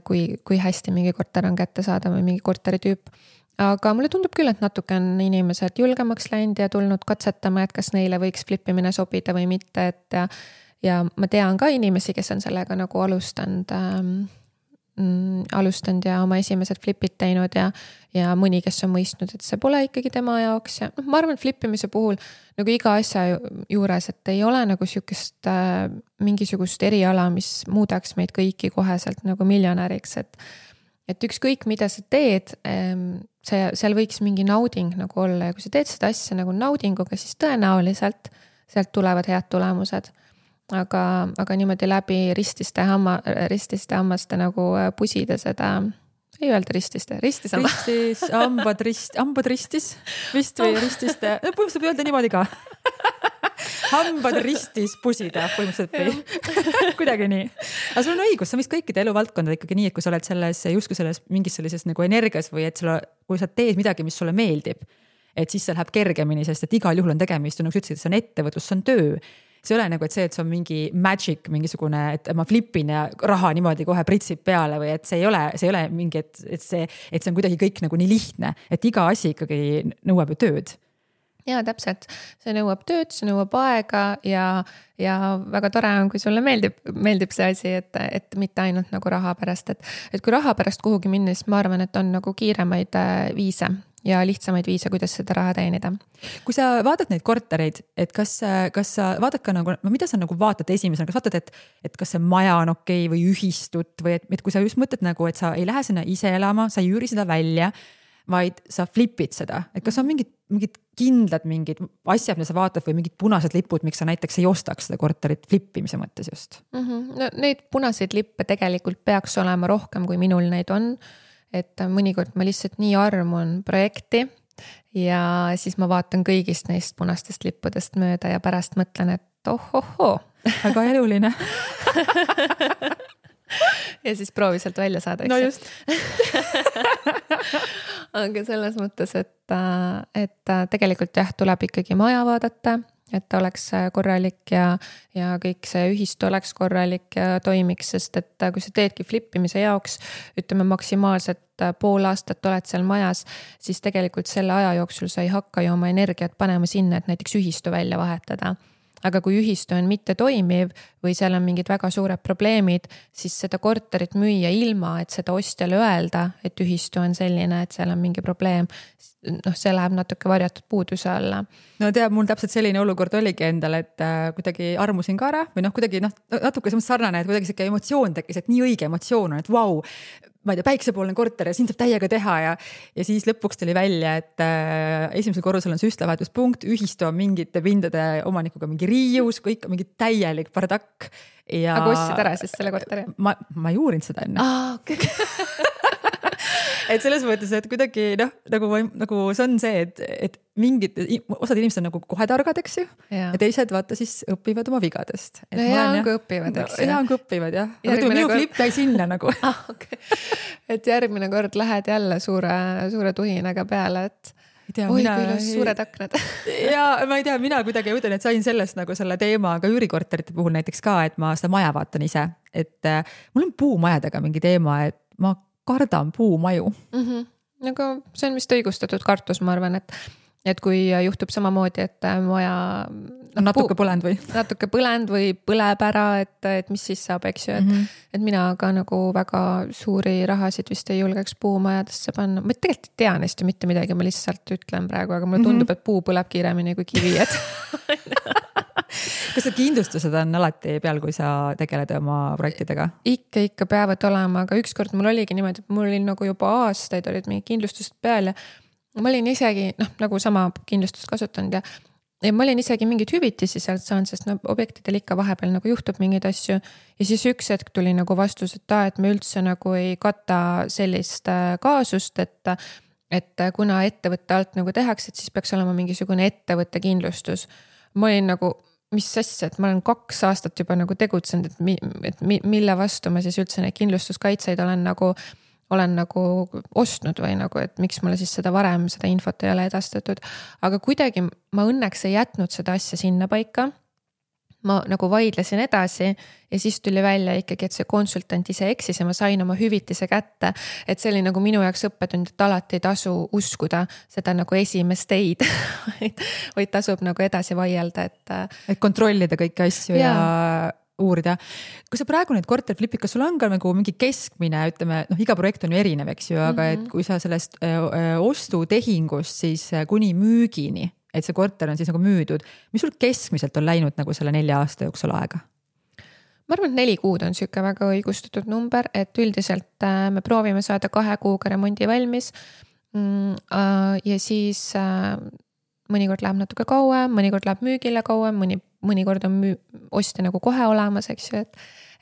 kui hästi mingi korter on kätte saada või mingi korteri tüüp. Aga mulle tundub küll, et natuke on inimesed julgemaks läinud ja tulnud katsetama, et kas neile võiks flippimine sobida või mitte, et ja ma tean ka inimesi, kes on sellega nagu alustanud ja oma esimesed flipid teinud ja mõni, kes on mõistnud, et see pole ikkagi tema jaoks ja ma arvan, et flippimise puhul nagu iga asja juures, et ei ole nagu mingisugust eriala, mis muudaks meid kõiki koheselt nagu miljonäriks, et ükskõik mida sa teed, seal võiks mingi nauding nagu olla ja kui sa teed seda asja nagu naudinguga, siis tõenäoliselt sealt tulevad head tulemused. Aga niimoodi läbi rististe hammaste nagu pusida seda, ei öelda hambad ristis vist või rististe, põhimõtteliselt võib öelda niimoodi ka. Hambad ristis pusida põhimõtteliselt või kuidagi nii. Aga sul on õigus, sa vist kõikide eluvaldkondad ikkagi nii, et kui sa oled justkui selles mingis sellises nagu energias või et kui sa teed midagi, mis sulle meeldib, et siis see läheb kergemini, sest et igal juhul on tegemist, nagu sa ütlesid, see on ettevõtlus, see on töö. See ei ole nagu, et see on mingi magic, mingisugune, et ma flippin ja raha niimoodi kohe pritsib peale või et see ei ole mingi, et see on kuidagi kõik nagu nii lihtne, et iga asi ikkagi nõuab ju tööd. Jaa, täpselt. See nõuab tööd, see nõuab aega ja väga tore on, kui sulle meeldib see asi, et mitte ainult nagu raha pärast, et kui raha pärast kuhugi minna, siis ma arvan, et on nagu kiiremaid viise ja lihtsamaid viise, kuidas seda raha teenida. Kui sa vaatad neid kortereid, et kas sa vaatad ka nagu, mida sa nagu vaatad esimesena, kas vaatad, et kas see maja on okei või ühistut või et kui sa just mõtled nagu, et sa ei lähe sinna ise elama, sa ei üüri seda välja, vaid sa flipid seda, et kas on mingid kindlad mingid asjad, mida sa vaatad või mingid punased lipud, miks sa näiteks ei ostaks seda korterit flippimise mõttes just? No, neid punaseid lippe tegelikult peaks olema rohkem, kui minul neid on. Et mõnikord ma lihtsalt nii armun projekti ja siis ma vaatan kõigist neist punastest lippudest mööda ja pärast mõtlen, et ohohoo. Väga eluline. Ja siis proovi sealt välja saada. No just. Aga selles mõttes, et tegelikult jah, tuleb ikkagi maja vaadata, et ta oleks korralik ja kõik see ühistu oleks korralik ja toimiks, sest et kui sa teedki flippimise jaoks, ütleme maksimaalselt pool aastat oled seal majas, siis tegelikult selle aja jooksul sa ei hakka ju oma energiat panema sinna, et näiteks ühistu välja vahetada. Aga kui ühistu on mitte toimiv või seal on mingid väga suured probleemid, siis seda korterit müüa ilma, et seda ostjale öelda, et ühistu on selline, et seal on mingi probleem, see läheb natuke varjatud puuduse alla. No teab, mul täpselt selline olukord oligi endal, et kuidagi armusin ka ära või kuidagi natuke sarnane, et kuidagi selline emotsioon tekkis, et nii õige emotsioon on, et vau, ma ei tea, päiksepoolne korter ja siin saab täiega teha ja siis lõpuks tuli välja, et esimesel korrusel on süstlavahetuspunkt, ühistu on mingite pindade omanikuga mingi riius, kõik on mingi täielik bardakk. Aga ostsid ära siis selle korteri? Ma ei uurinud seda enne. Okay. Et selles mõttes, et kuidagi nagu see on see, et mingid, osad inimesed on nagu kohe targad, eks ju, ja teised vaata siis õpivad oma vigadest. No hea on kui õpivad, eks ju. Hea on kui õpivad, jah. Aga minu flip jäi sinna nagu. Okay. Et järgmine kord lähed jälle suure tuhinaga peale, et kui ilus suured aknad. Ja ma ei tea, mina kuidagi ütlen, et sain sellest nagu selle teema ka üürikorterite puhul näiteks ka, et ma seda maja vaatan ise. Et mul on puumajadega mingi teema, et ma kardan puumaju. Aga see on vist õigustatud kartus, ma arvan, et kui juhtub samamoodi, et maja natuke põlend või põleb ära, et mis siis saab, eks ju, et mina ka nagu väga suuri rahasid vist ei julgeks puumajadesse panna. Ma tegelikult ei tea neist ju mitte midagi, ma lihtsalt ütlen praegu, aga mulle tundub, et puu põleb kiiremini kui kivi, et kas see kindlustused on alati peal, kui sa tegeled oma projektidega? Ikka peavad olema, aga ükskord mul oligi niimoodi, et mul oli nagu juba aastaid olid mingi kindlustused peal ja ma olin isegi, nagu sama kindlustust kasutanud ja ma olin isegi mingid hüvitisi sealt saanud, sest objektidel ikka vahepeal nagu juhtub mingeid asju. Ja siis üks hetk tuli nagu vastus, et me üldse nagu ei kata sellist kaasust, et kuna ettevõtte alt nagu tehakse, et siis peaks olema mingisugune ettevõtte kindlustus. Ma olin nagu, mis asja, et ma olen 2 aastat juba nagu tegutsenud, et mille vastu ma siis üldse neid kindlustuskaitseid olen nagu ostnud või nagu, et miks mulle siis seda varem, seda infot ei ole edastatud. Aga kuidagi ma õnneks ei jätnud seda asja sinna paika. Ma nagu vaidlesin edasi ja siis tuli välja ikkagi, et see konsultant ise eksis ja ma sain oma hüvitise kätte. Et see oli nagu minu jaoks õppetund, et alati ei tasu uskuda seda nagu esimest teid, vaid tasub nagu edasi vaielda. Et kontrollida kõiki asju ja uurida. Kui sa praegu need korterid flipid, kas sul on ka nagu mingi keskmine, ütleme, iga projekt on ju erinev, eks ju, aga et kui sa sellest ostutehingust siis kuni müügini, et see korter on siis nagu müüdud, mis sul keskmiselt on läinud nagu selle 4 aasta jooksul aega? Ma arvan, et 4 kuud on siuke väga õigustatud number, et üldiselt me proovime saada 2 kuuga remondi valmis ja siis mõnikord läheb natuke kauem, mõnikord läheb müügile kauem, mõnikord on ostja nagu kohe olemas, eks ju,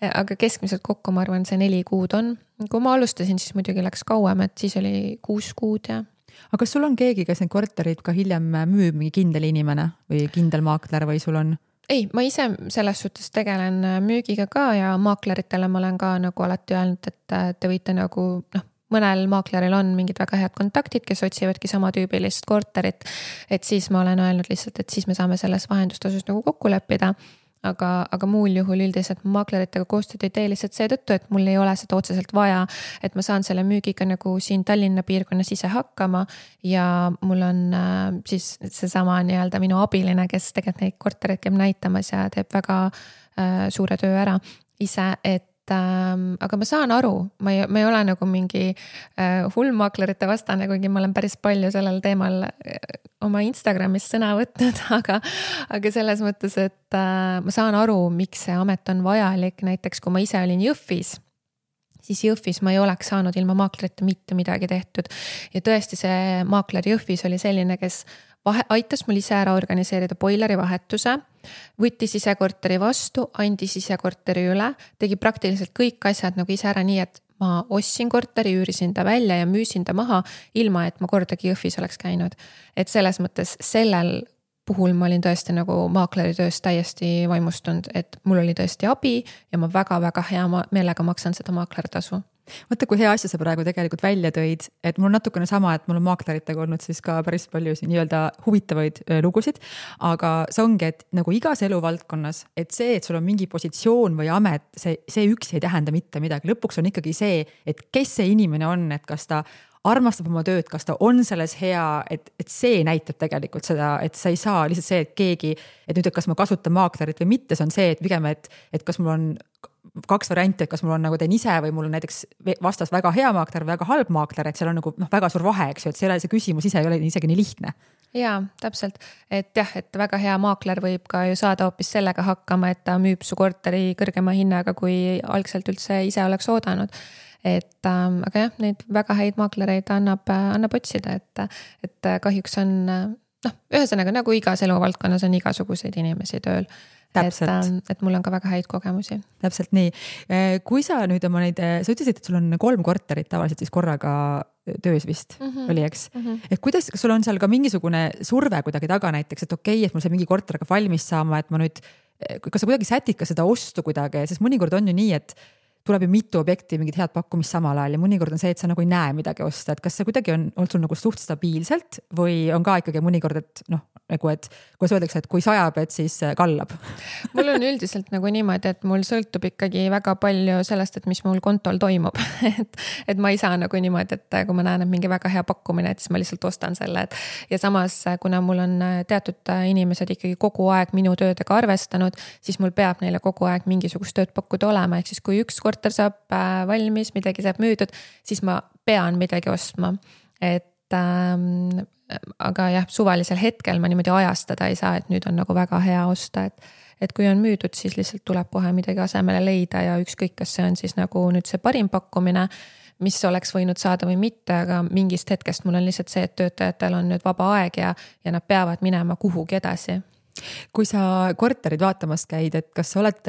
aga keskmiselt kokku ma arvan, see 4 kuud on. Kui ma alustasin, siis muidugi läks kauem, et siis oli 6 kuud ja. Aga kas sul on keegi, kes need korterid ka hiljem müüb, mingi kindel inimene või kindel maakler või sul on? Ei, ma ise selles suhtes tegelen müügiga ka ja maakleritele ma olen ka nagu alati öelnud, et te võite nagu mõnel maakleril on mingid väga head kontaktid, kes otsivadki sama tüübilist korterit, et siis ma olen öelnud lihtsalt, et siis me saame selles vahendustasus nagu kokku leppida, aga muul juhul üldiselt maakleritega koostööd ei tee lihtsalt seetõttu, et mul ei ole seda otseselt vaja, et ma saan selle müügiga nagu siin Tallinna piirkonnas ise hakkama ja mul on siis seesama nii-öelda minu abiline, kes tegelikult neid kortereid käib näitamas ja teeb väga suure töö ära ise, aga ma saan aru, ma ei ole nagu mingi hullmaaklerite vastane, kuigi ma olen päris palju sellel teemal oma Instagramis sõna võtnud, aga selles mõttes, et ma saan aru, miks see amet on vajalik. Näiteks kui ma ise olin Jõhvis, siis Jõhvis ma ei oleks saanud ilma maaklerite mitte midagi tehtud ja tõesti see maakler Jõhvis oli selline, kes aitas mul ise ära organiseerida boileri vahetuse, võttis ise korteri vastu, andis ise korteri üle, tegi praktiliselt kõik asjad nagu ise ära nii, et ma ostsin korteri, üürisin ta välja ja müüsin ta maha, ilma et ma kordagi Jõhvis oleks käinud. Et selles mõttes sellel puhul ma olin tõesti nagu maakleri tööst täiesti vaimustunud, et mul oli tõesti abi ja ma väga-väga hea meelega maksan seda maaklertasu. Mõtle, kui hea asja sa praegu tegelikult välja tõid, et mul on natukene sama, et mul on maakleritega olnud siis ka päris palju nii-öelda huvitavaid lugusid, aga see ongi, et nagu igas eluvaldkonnas, et see, et sul on mingi positsioon või amet, see üksi ei tähenda mitte midagi. Lõpuks on ikkagi see, et kes see inimene on, et kas ta armastab oma tööd, kas ta on selles hea, et see näitab tegelikult seda, et sa ei saa lihtsalt see, et keegi, et nüüd, et kas ma kasutan maaklerit või mitte, see on see, et pigem, et kas mul on 2 varianti, et kas mul on nagu teen ise või mul on näiteks vastas väga hea maakler või väga halb maakler, et seal on nagu väga suur vahe, eks ju, et see küsimus ise ei ole isegi nii lihtne. Jaa, täpselt, et jah, et väga hea maakler võib ka ju saada hoopis sellega hakkama, et ta müüb su korteri kõrgema hinnaga, kui algselt üldse ise oleks oodanud. Aga jah, neid väga häid maaklereid annab otsida, et kahjuks on, ühesõnaga nagu igas eluvaldkonnas on igasuguseid inimesi tööl. Et mul on ka väga häid kogemusi. Täpselt nii. Kui sa nüüd oma neid, sa ütlesid, et sul on 3 korterit tavaliselt siis korraga töös vist oli, eks? Et kuidas, kas sul on seal ka mingisugune surve kuidagi taga näiteks, et okei, et mul see mingi korteriga valmis saama, et ma nüüd, kas sa kuidagi sätid ka seda ostu kuidagi, sest mõnikord on ju nii, et tuleb ju mitu objekti, mingid head pakkumist samal ajal ja mõnikord on see, et sa nagu ei näe midagi osta, et kas see kuidagi on olnud sul nagu suht stabiilselt või on ka ikkagi mõnikord, et nagu, et kui öeldakse, et kui sajab, et siis kallab? Mul on üldiselt nagu niimoodi, et mul sõltub ikkagi väga palju sellest, et mis mul kontol toimub. et ma ei saa nagu niimoodi, et kui ma näen, et mingi väga hea pakkumine, et siis ma lihtsalt ostan selle. Ja samas, kuna mul on teatud inimesed ikkagi kogu aeg minu töödega arvestanud, siis mul peab neile kogu aeg mingisugust tööd pakkuda olema. Ehk siis kui üks korter saab valmis, midagi saab müüdud, siis ma pean midagi ostma. Aga jah, suvalisel hetkel ma niimoodi ajastada ei saa, et nüüd on nagu väga hea osta, et kui on müüdud, siis lihtsalt tuleb kohe midagi asemele leida ja ükskõik, kas see on siis nagu nüüd see parim pakkumine, mis oleks võinud saada või mitte, aga mingist hetkest mul on lihtsalt see, et töötajatel on nüüd vaba aeg ja nad peavad minema kuhugi edasi. Kui sa korterid vaatamas käid, et kas sa oled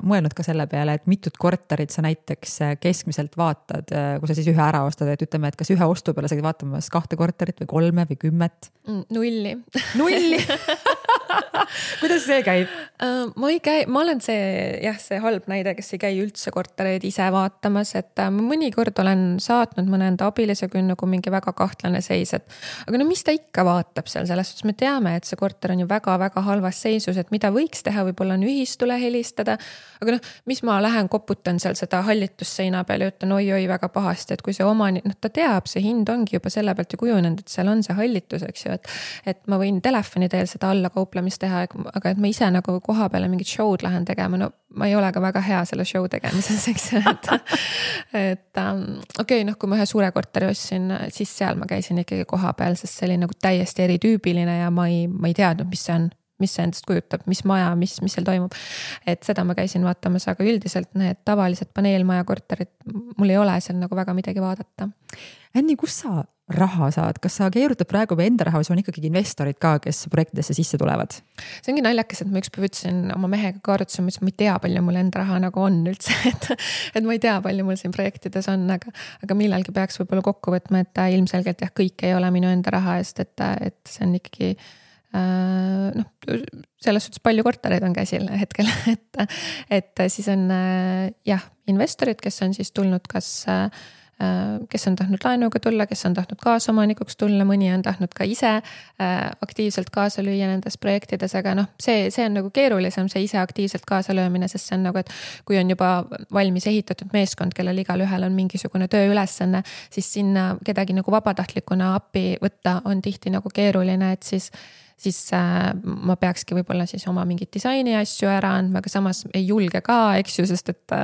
mõelnud ka selle peale, et mitut korterit sa näiteks keskmiselt vaatad, kui sa siis ühe ära ostad, et ütleme, et kas ühe ostu peale sa käid vaatamas 2 korterit või 3 või 10? Nulli. Kuidas see käib? Ma ei käi, ma olen see halb näide, kes ei käi üldse kortereid ise vaatamas, et ma mõnikord olen saatnud mõne enda abilise, kui on nagu mingi väga kahtlane seis, aga no mis ta ikka vaatab seal, selles suhtes me teame, et see korter on ju väga-väga halvas seisus, et mida võiks teha, võib-olla on ühistule helistada, aga noh, mis ma lähen koputan seal seda hallitusseina peal ja ütlen oi väga pahasti, et kui see omanik, ta teab, see hind ongi juba selle pealt ju kujunenud, et seal on see hallitus, eks ju, et ma võin telefoni teel seda alla kauplemist teha, aga et ma ise nagu koha peale mingit show'd lähen tegema, no ma ei ole ka väga hea selle show tegemises, eks ju, okei, kui ma ühe suure korteri ostsin, siis seal ma käisin ikkagi koha peal, sest see oli nagu täiesti eritüübiline ja ma ei teadnud, mis see endast kujutab, mis maja, mis seal toimub. Et seda ma käisin vaatamas, aga üldiselt need tavalised paneelmaja korterid, mul ei ole seal nagu väga midagi vaadata. Anni, kus sa raha saad? Kas sa keerutad praegu või enda raha või sul on ikkagi investorid ka, kes projektidesse sisse tulevad? See ongi naljakas, et ma ükspäev ütlesin oma mehega ka arutasin, ma ei tea, palju mul enda raha nagu on üldse, et ma ei tea, palju mul siin projektides on, aga millalgi peaks võib-olla kokku võtma, et ilmselgelt jah, kõik ei ole minu enda raha eest, et see on ikkagi selles suhtes palju kortereid on käsil hetkel, et siis on jah, investorid, kes on siis tulnud kes on tahtnud laenuga tulla, kes on tahtnud kaasomanikuks tulla, mõni on tahtnud ka ise aktiivselt kaasa lüüa nendes projektides, aga see on nagu keerulisem, see ise aktiivselt kaasa löömine, sest see on nagu, et kui on juba valmis ehitatud meeskond, kellel igal ühel on mingisugune tööülesanne, siis sinna kedagi nagu vabatahtlikuna appi võtta on tihti nagu keeruline, et siis ma peakski võib-olla siis oma mingit disaini asju ära andma, aga samas ei julge ka, eks ju, sest et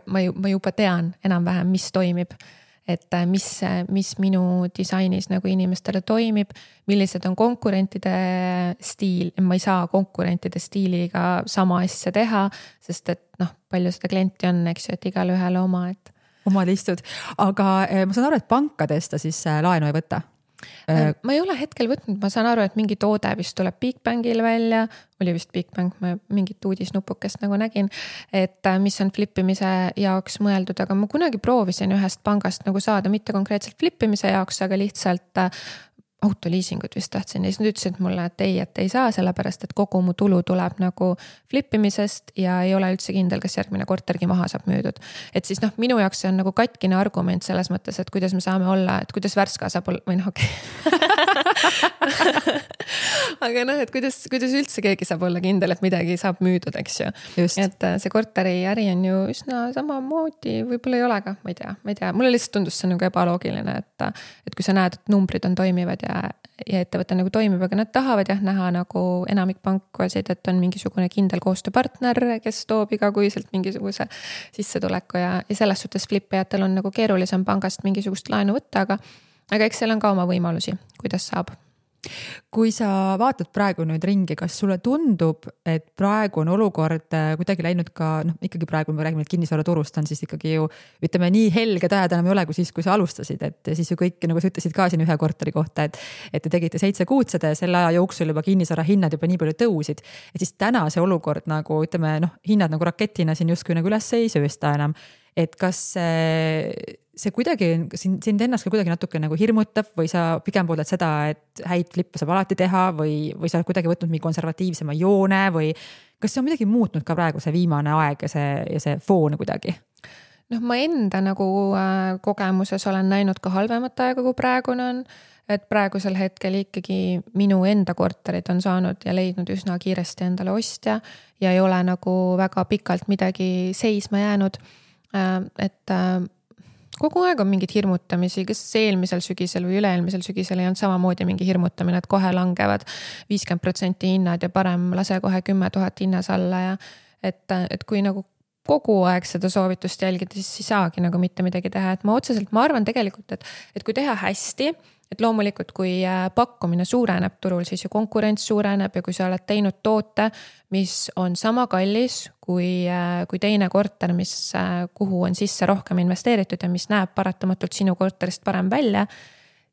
ma juba tean enam-vähem, mis toimib, et mis minu disainis nagu inimestele toimib, millised on konkurentide stiil, ma ei saa konkurentide stiiliga sama asja teha, sest et palju seda klienti on, eks ju, et igal ühele oma, et omad istud, aga ma saan aru, et pankadest ta siis laenu ei võta? Ma ei ole hetkel võtnud, ma saan aru, et mingi toode vist tuleb Bigbankil välja, oli vist Bigbank, ma mingit uudisnupukest nagu nägin, et mis on flippimise jaoks mõeldud, aga ma kunagi proovisin ühest pangast nagu saada, mitte konkreetselt flippimise jaoks, aga lihtsalt autoliisingut vist tahtsin ja siis nad ütlesid mulle, et ei saa, sellepärast, et kogu mu tulu tuleb nagu flippimisest ja ei ole üldse kindel, kas järgmine kortergi maha saab müüdud. Et siis minu jaoks see on nagu katkine argument selles mõttes, et kuidas me saame olla, et kuidas Värska saab olla, või okei. Aga et kuidas üldse keegi saab olla kindel, et midagi saab müüdud, eks ju. Just. Et see korteri äri on ju üsna samamoodi, võib-olla ei ole ka, ma ei tea. Mulle lihtsalt tundus see nagu ebaloogiline, et kui sa näed, et numbrid on toimivad ja ettevõte nagu toimib, aga nad tahavad jah näha nagu enamik pankasid, et on mingisugune kindel koostööpartner, kes toob igakuiselt mingisuguse sissetuleku ja selles suhtes flippijatel on nagu keerulisem pangast mingisugust laenu võtta, aga eks seal on ka oma võimalusi, kuidas saab. Kui sa vaatad praegu nüüd ringi, kas sulle tundub, et praegu on olukord kuidagi läinud ka, ikkagi praegu me räägime, et kinnisvaraturust on siis ikkagi ju, ütleme nii helged ajad enam ei ole kui siis, kui sa alustasid, et siis ju kõik, nagu sa ütlesid ka siin ühe korteri kohta, et te tegite 7 kuud seda ja selle aja jooksul juba kinnisvara hinnad juba nii palju tõusid, et siis täna see olukord nagu, ütleme, hinnad nagu raketina siin justkui nagu üles ei söösta enam, et kas see kuidagi sind ennast ka kuidagi natuke nagu hirmutab või sa pigem pooled seda, et häid flippe saab alati teha või sa oled kuidagi võtnud mingi konservatiivsema joone või kas see on midagi muutnud ka praegu see viimane aeg ja see foon kuidagi? Ma enda nagu kogemuses olen näinud ka halvemat aega, kui praegune on. et praegusel hetkel ikkagi minu enda korterid on saanud ja leidnud üsna kiiresti endale ostja ja ei ole nagu väga pikalt midagi seisma jäänud. Et kogu aeg on mingid hirmutamisi, kas eelmisel sügisel või üle-eelmisel sügisel ei olnud samamoodi mingi hirmutamine, et kohe langevad 50% hinnad ja parem lase kohe 10 000 hinnas alla ja et kui nagu kogu aeg seda soovitust jälgida, siis ei saagi nagu mitte midagi teha, et ma arvan tegelikult, et kui teha hästi, et loomulikult, kui pakkumine suureneb turul, siis ju konkurents suureneb ja kui sa oled teinud toote, mis on sama kallis kui teine korter, kuhu on sisse rohkem investeeritud ja mis näeb paratamatult sinu korterist parem välja,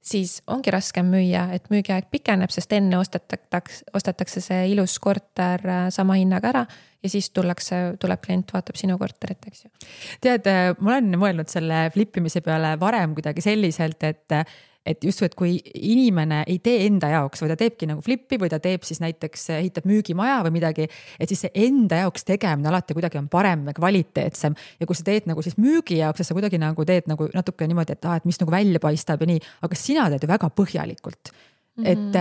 siis ongi raskem müüa, et müügiaeg pikeneb, sest enne ostetakse see ilus korter sama hinnaga ära ja siis tuleb klient, vaatab sinu korterit, eks ju. Tead, ma olen mõelnud selle flippimise peale varem kuidagi selliselt, et just, et kui inimene ei tee enda jaoks või ta teebki nagu flippi või ta teeb siis näiteks ehitab müügimaja või midagi, et siis see enda jaoks tegemine alati kuidagi on parem ja kvaliteetsem. Ja kui sa teed nagu siis müügi jaoks, siis sa kuidagi nagu teed nagu natuke niimoodi, et mis nagu välja paistab ja nii, aga sina teed ju väga põhjalikult. Et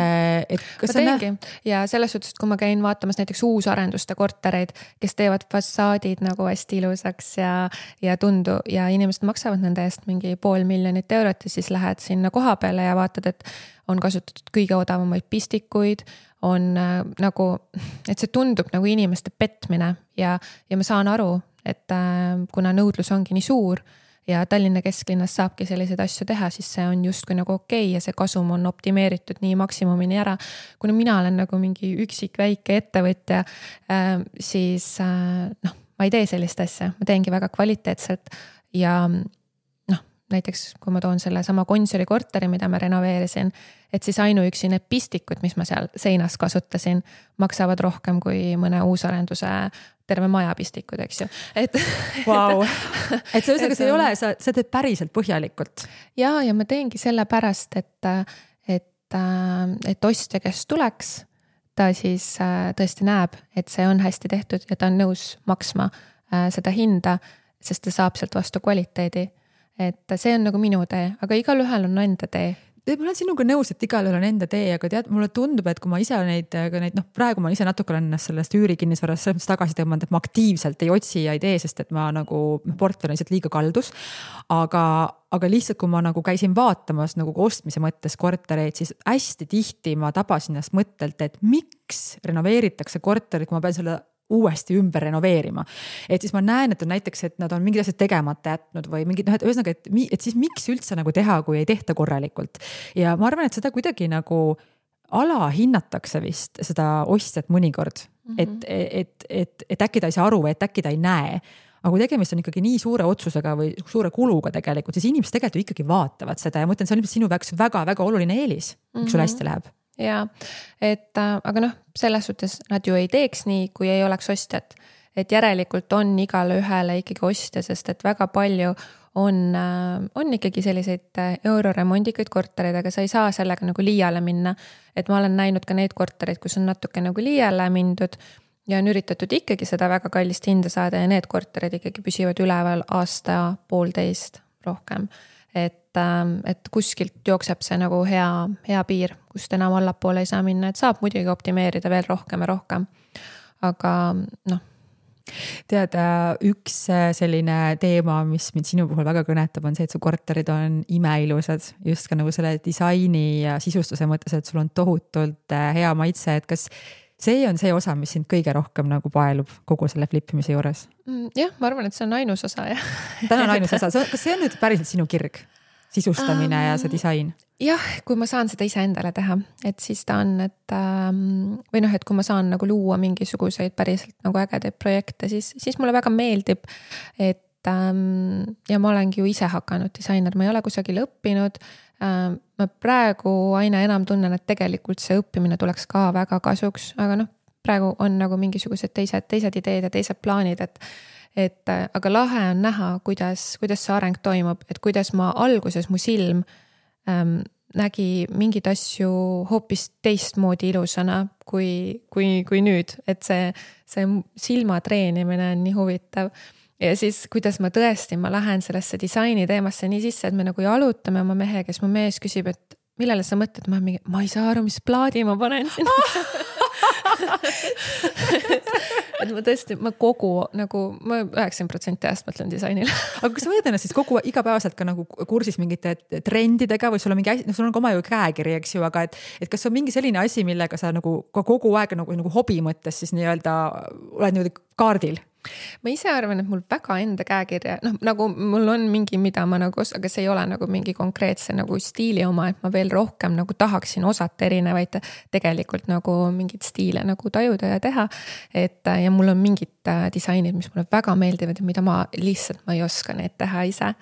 kas ma teengi ja selles suhtes, et kui ma käin vaatamas näiteks uusarenduste kortereid, kes teevad fassaadid nagu hästi ilusaks ja inimesed maksavad nende eest mingi 500 000 eurot ja siis lähed sinna koha peale ja vaatad, et on kasutatud kõige odavamaid pistikuid, on nagu, et see tundub nagu inimeste petmine ja ma saan aru, et kuna nõudlus ongi nii suur, ja Tallinna kesklinnas saabki selliseid asju teha, siis see on justkui nagu okei ja see kasum on optimeeritud nii maksimumini ära. Kuna mina olen nagu mingi üksik väike ettevõtja, siis ma ei tee sellist asja, ma teengi väga kvaliteetselt ja näiteks kui ma toon selle sama Gonsiori korteri, mida ma renoveerisin, et siis ainuüksi need pistikud, mis ma seal seinas kasutasin, maksavad rohkem kui mõne uusarenduse terve maja pistikud, eks ju. Wow. Et see ei ole, sa teed päriselt põhjalikult. Ja ma teengi selle pärast, et ostja, kes tuleks, ta siis tõesti näeb, et see on hästi tehtud ja ta on nõus maksma seda hinda, sest ta saab sealt vastu kvaliteedi. Et see on nagu minu tee, aga igal ühel on enda tee. Ma olen sinuga nõus, et igal ühel on enda tee, aga tead, mulle tundub, et kui ma ise neid, praegu ma ise natuke olen ennast sellest üürikinnisvarast selles mõttes tagasi tõmmanud, et ma aktiivselt ei otsi ja ei tee, sest et ma nagu portfell on lihtsalt liiga kaldus. Aga lihtsalt, kui ma nagu käisin vaatamas nagu ostmise mõttes kortereid, siis hästi tihti ma tabasin ennast mõttelt, et miks renoveeritakse korterit, kui ma pean selle uuesti ümber renoveerima. Et siis ma näen, et on näiteks, et nad on mingid asjad tegemata jätnud või mingid, ühesõnaga, et siis miks üldse nagu teha, kui ei tehta korralikult. Ja ma arvan, et seda kuidagi nagu alahinnatakse vist seda ostjat mõnikord, et äkki ta ei saa aru või et äkki ta ei näe. Aga kui tegemist on ikkagi nii suure otsusega või suure kuluga tegelikult, siis inimesed tegelikult ikkagi vaatavad seda ja mõtlen, see on sinu väga-väga oluline eelis, miks sul hästi läheb. Ja, aga selles suhtes nad ju ei teeks nii, kui ei oleks ostjat. Et järelikult on igale ühele ikkagi ostja, sest et väga palju on ikkagi selliseid euroremondikaid kortereid, aga sa ei saa sellega nagu liiale minna. Et ma olen näinud ka neid kortereid, kus on natuke nagu liiale mindud ja on üritatud ikkagi seda väga kallist hinda saada ja need korterid ikkagi püsivad üleval aasta-poolteist rohkem. Et kuskilt jookseb see nagu hea piir, kust enam allapoole ei saa minna, et saab muidugi optimeerida veel rohkem ja rohkem. Aga Tead, üks selline teema, mis mind sinu puhul väga kõnetab, on see, et su korterid on imeilusad, just ka nagu selle disaini ja sisustuse mõttes, et sul on tohutult hea maitse, et kas see on see osa, mis sind kõige rohkem nagu paelub kogu selle flippimise juures? Jah, ma arvan, et see on ainus osa. Täna on ainus osa. Kas see on nüüd päriselt sinu kirg? Sisustamine ja see disain? Jah, kui ma saan seda ise endale teha, et siis ta on, et kui ma saan nagu luua mingisuguseid päriselt nagu ägedaid projekte, siis mulle väga meeldib, et ja ma olengi ju ise hakanud disainer, ma ei ole kusagil õppinud. Ma praegu aina enam tunnen, et tegelikult see õppimine tuleks ka väga kasuks, aga praegu on nagu mingisugused teised ideed ja teised plaanid, aga lahe on näha, kuidas see areng toimub, et kuidas ma alguses mu silm nägi mingid asju hoopis teistmoodi ilusana kui nüüd, et see silma treenimine on nii huvitav. Ja siis, kuidas ma lähen sellesse disaini teemasse nii sisse, et me nagu jalutame oma mehe, kes mu mees küsib, et millele sa mõtled, ma ei saa aru, mis plaadi ma panen sinna et ma tõesti, ma 90% ajast mõtlen disainile aga kas sa võid ennast siis kogu igapäevaselt ka nagu kursis mingite trendidega või sul on mingi asi, sul on ka oma ju käekiri, eks ju, aga et kas on mingi selline asi, millega sa nagu ka kogu aeg nagu hobi mõttes siis nii-öelda oled niimoodi kaardil? Ma ise arvan, et mul väga enda käekirja, nagu mul on mingi, mida ma nagu, aga see ei ole nagu mingi konkreetse nagu stiili oma, et ma veel rohkem nagu tahaksin osata erinevaid tegelikult nagu mingeid stiile nagu tajuda ja teha. Ja mul on mingid disainid, mis mulle väga meeldivad ja mida ma ei oska neid teha ise.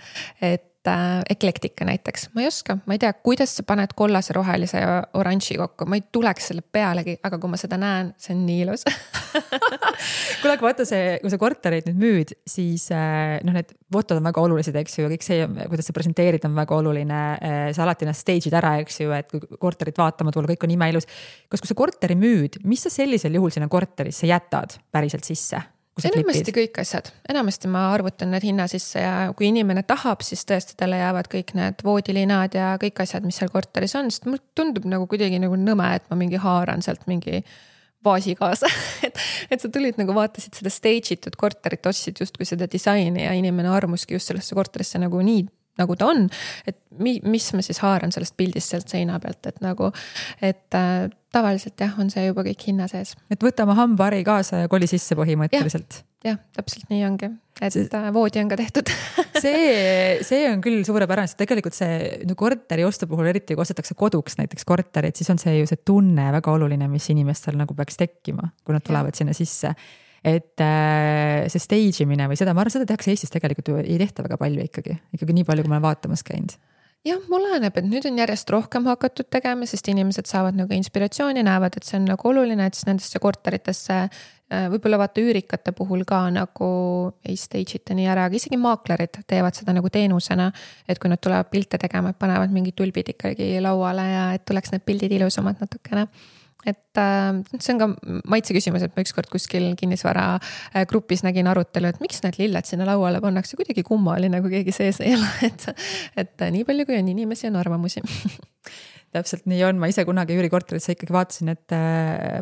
Eklektika näiteks, ma ei oska, ma ei tea, kuidas sa paned kollase, rohelise ja oranži kokku, ma ei tuleks selle pealegi, aga kui ma seda näen, see on nii ilus Kuule, aga vaata kui sa kortereid nüüd müüd, siis need fotod on väga olulised, eks ju, kõik see, kuidas sa presenteerid, on väga oluline, sa alati ennast stage'id ära, eks ju, et kui korterit vaatama tulla, kõik on imeilus. Kas kui sa korteri müüd, mis sa sellisel juhul sinna korterisse jätad päriselt sisse? Enamasti kõik asjad, enamasti ma arvutan need hinna sisse ja kui inimene tahab, siis tõesti talle jäävad kõik need voodilinad ja kõik asjad, mis seal korteris on, sest mul tundub nagu kuidagi nagu nõme, et ma mingi haaran sealt mingi vaasi kaasa et sa tulid nagu vaatasid seda stage'itud korterit, ostsid justkui seda disaini ja inimene armuski just sellesse korterisse nagu nii, nagu ta on, et mis ma siis haaran sellest pildist sealt seina pealt, et tavaliselt jah, on see juba kõik hinna sees. Et võta oma hambahari kaasa ja koli sisse põhimõtteliselt. Jah, täpselt nii ongi, et voodi on ka tehtud see on küll suurepärane, sest tegelikult see korteri ostu puhul, eriti kui ostetakse koduks näiteks korterit, siis on see ju see tunne väga oluline, mis inimestel nagu peaks tekkima, kui nad tulevad sinna sisse. Et see stage imine või seda, ma arvan, seda tehakse Eestis tegelikult ju ei tehta väga palju ikkagi nii palju, kui ma olen vaatamas käinud. Jah, mul läheneb, et nüüd on järjest rohkem hakatud tegema, sest inimesed saavad nagu inspiratsiooni, näevad, et see on nagu oluline, et siis nendesse korteritesse võib-olla vaata üürikate puhul ka nagu ei stage'ita nii ära, aga isegi maaklerid teevad seda nagu teenusena, et kui nad tulevad pilte tegema, et panevad mingid tulbid ikkagi lauale ja et tuleks need pildid ilusamad natukene. Et see on ka maitse küsimus, et ma ükskord kuskil kinnisvara grupis nägin arutelu, et miks need lilled sinna lauale pannakse, kuidagi kummaline, kui keegi sees ei ole, et nii palju kui on inimesi, on arvamusi. Täpselt nii on, ma ise kunagi üürikorterisse ikkagi vaatasin, et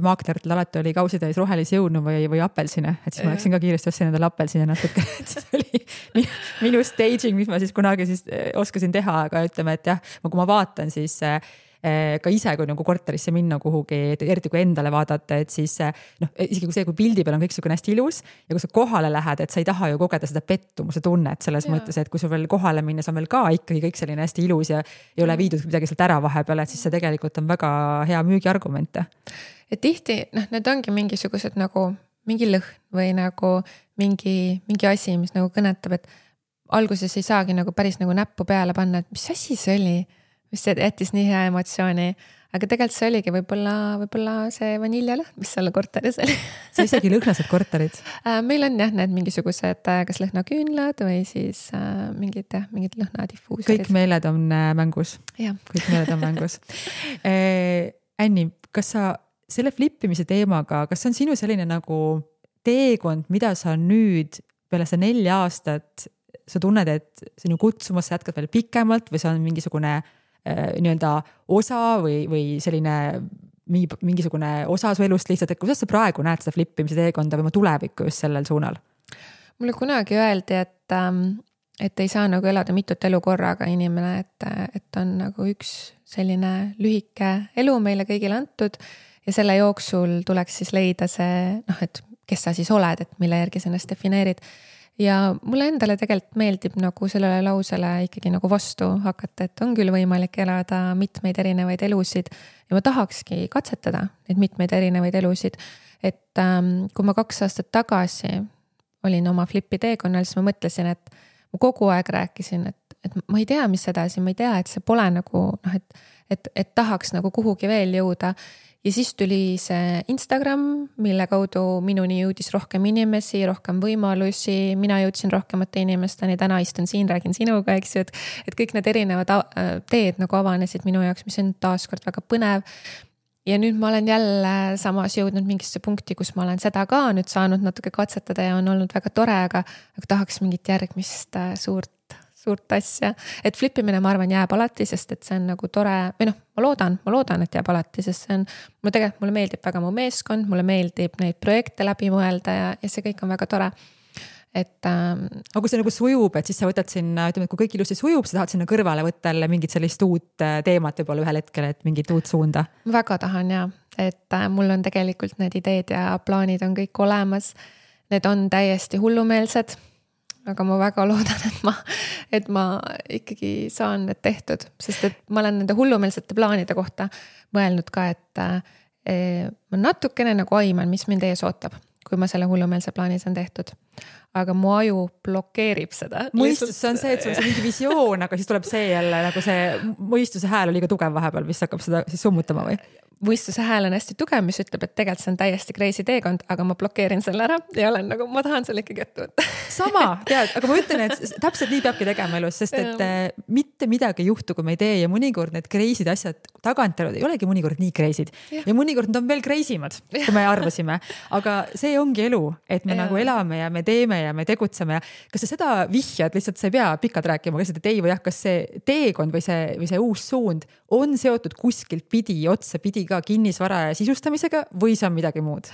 maakleritel alati oli kausitäis rohelisi jõunu või apelsine, et siis ma läksin ka kiiresti ostsin endale apelsine natuke, et siis oli minu staging, mis ma siis kunagi siis oskasin teha, aga ütleme, et jah, kui ma vaatan, siis ka ise, kui nagu korterisse minna kuhugi, eriti kui endale vaadata, et siis isegi kui see, kui pildi peal on kõik selline hästi ilus ja kui sa kohale lähed, et sa ei taha ju kogeda seda pettumuse tunnet selles mõttes, et kui sul veel kohale minnes on veel ka ikkagi kõik selline hästi ilus ja ei ole viidud midagi sealt ära vahepeal, et siis see tegelikult on väga hea müügiargument. Ja tihti, need ongi mingisugused nagu mingi lõhn või nagu mingi asi, mis nagu kõnetab, et alguses ei saagi nagu päris nagu näppu peale panna, et mis asi see oli, mis see jättis nii hea emotsiooni, aga tegelikult see oligi võib-olla see vaniljalõhn, mis seal korteris oli. Sa isegi lõhnased korterid? Meil on jah, need mingisugused kas lõhnaküünlad või siis mingid lõhnadiffuuserid. Kõik meeled on mängus. Ja. Kõik meeled on mängus. Anni, kas sa selle flippimise teemaga, kas see on sinu selline nagu teekond, mida sa nüüd peale seda 4 aastat sa tunned, et sinu kutsumus sa jätkad veel pikemalt või see on mingisugune nii-öelda osa või selline mingisugune osa su elust lihtsalt, et kuidas sa praegu näed seda flippimise teekonda või oma tulevikku just sellel suunal? Mulle kunagi öeldi, et ei saa nagu elada mitut elu korraga inimene, et on nagu üks selline lühike elu meile kõigile antud ja selle jooksul tuleks siis leida see, et kes sa siis oled, et mille järgi sa ennast defineerid. Ja mulle endale tegelikult meeldib nagu sellele lausele ikkagi nagu vastu hakata, et on küll võimalik elada mitmeid erinevaid elusid ja ma tahakski katsetada neid mitmeid erinevaid elusid. Et kui ma 2 aastat tagasi olin oma flipi teekonnal, siis ma mõtlesin, et ma kogu aeg rääkisin, et ma ei tea, mis edasi, ma ei tea, et see pole nagu, et tahaks nagu kuhugi veel jõuda. Ja siis tuli see Instagram, mille kaudu minuni jõudis rohkem inimesi, rohkem võimalusi, mina jõudsin rohkemate inimesteni, täna istun siin, räägin sinuga, eks ju, et kõik need erinevad teed nagu avanesid minu jaoks, mis on taaskord väga põnev. Ja nüüd ma olen jälle samas jõudnud mingisse punkti, kus ma olen seda ka nüüd saanud natuke katsetada ja on olnud väga tore, aga tahaks mingit järgmist suurt asja, et flipimine, ma arvan, jääb alati, sest et see on nagu tore või noh, ma loodan, et jääb alati, sest see on, mulle meeldib väga mu meeskond, mulle meeldib neid projekte läbi mõelda ja see kõik on väga tore. Et aga kui see nagu sujub, et siis sa võtad sinna, ütleme, et kui kõik ilusti sujub, sa tahad sinna kõrvale võtta mingit sellist uut teemat võib-olla ühel hetkel, et mingit uut suunda. Väga tahan ja, et mul on tegelikult need ideed ja plaanid on kõik olemas. Need on täiesti hullumeelsed, aga ma väga loodan, et ma ikkagi saan need tehtud, sest et ma olen nende hullumeelsete plaanide kohta mõelnud ka, et ma natukene nagu aiman, mis mind ees ootab, kui ma selle hullumeelse plaani saan tehtud. Aga mu aju blokeerib seda. Mõistus on see, et sul on see mingi visioon, aga siis tuleb see jälle nagu see mõistuse hääl on liiga tugev vahepeal, mis hakkab seda siis summutama või? Mõistuse hääl on hästi tugev, mis ütleb, et tegelikult see on täiesti crazy teekond, aga ma blokeerin selle ära ja olen nagu, ma tahan selle ikkagi ette võtta. Sama, tead, aga ma ütlen, et täpselt nii peabki tegema elus, sest et mitte midagi ei juhtu, kui me ei tee ja mõnikord need crazy'd asjad tagantjärele ei olegi mõnikord nii crazy'd ja mõnikord nad on veel crazy'mad, kui me arvasime. Aga see ongi elu, et me nagu elame ja me teeme ja me tegutseme ja kas sa seda vihjad, lihtsalt sa ei pea pikalt rääkima, kas seda ei või jah, kas see teekond või see uus suund on seotud kuskilt pidi, otsa pidi ka kinnisvara ja sisustamisega või see on midagi muud?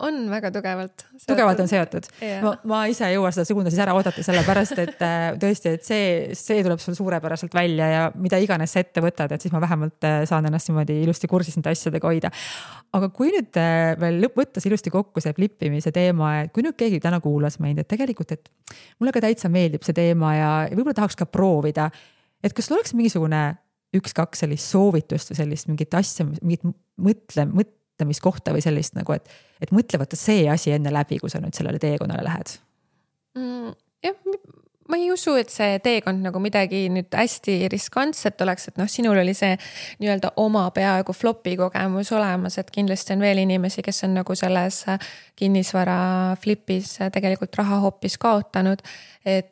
On väga tugevalt. Tugevalt on seotud. Ma ise ei jõua seda suunda siis ära oodata sellepärast, et tõesti, et see tuleb sul suurepäraselt välja ja mida iganes sa ette võtad, et siis ma vähemalt saan ennast niimoodi ilusti kursis nende asjadega hoida. Aga kui nüüd veel võttes ilusti kokku see flippimise teema, et kui nüüd keegi täna kuulas meid, et tegelikult, et mulle ka täitsa meeldib see teema ja võib-olla tahaks ka proovida, et kas oleks mingisugune 1-2 sellist soovitust või sellist mingit asja, mingit mõtlemiskohta või sellist nagu, et mõtle võtta see asi enne läbi, kui sa nüüd sellele teekonnale lähed? Jah, ma ei usu, et see teekond nagu midagi nüüd hästi riskantset oleks, et noh, sinul oli see nii-öelda oma peaaegu flopi kogemus olemas, et kindlasti on veel inimesi, kes on nagu selles kinnisvara flipis tegelikult raha hoopis kaotanud, et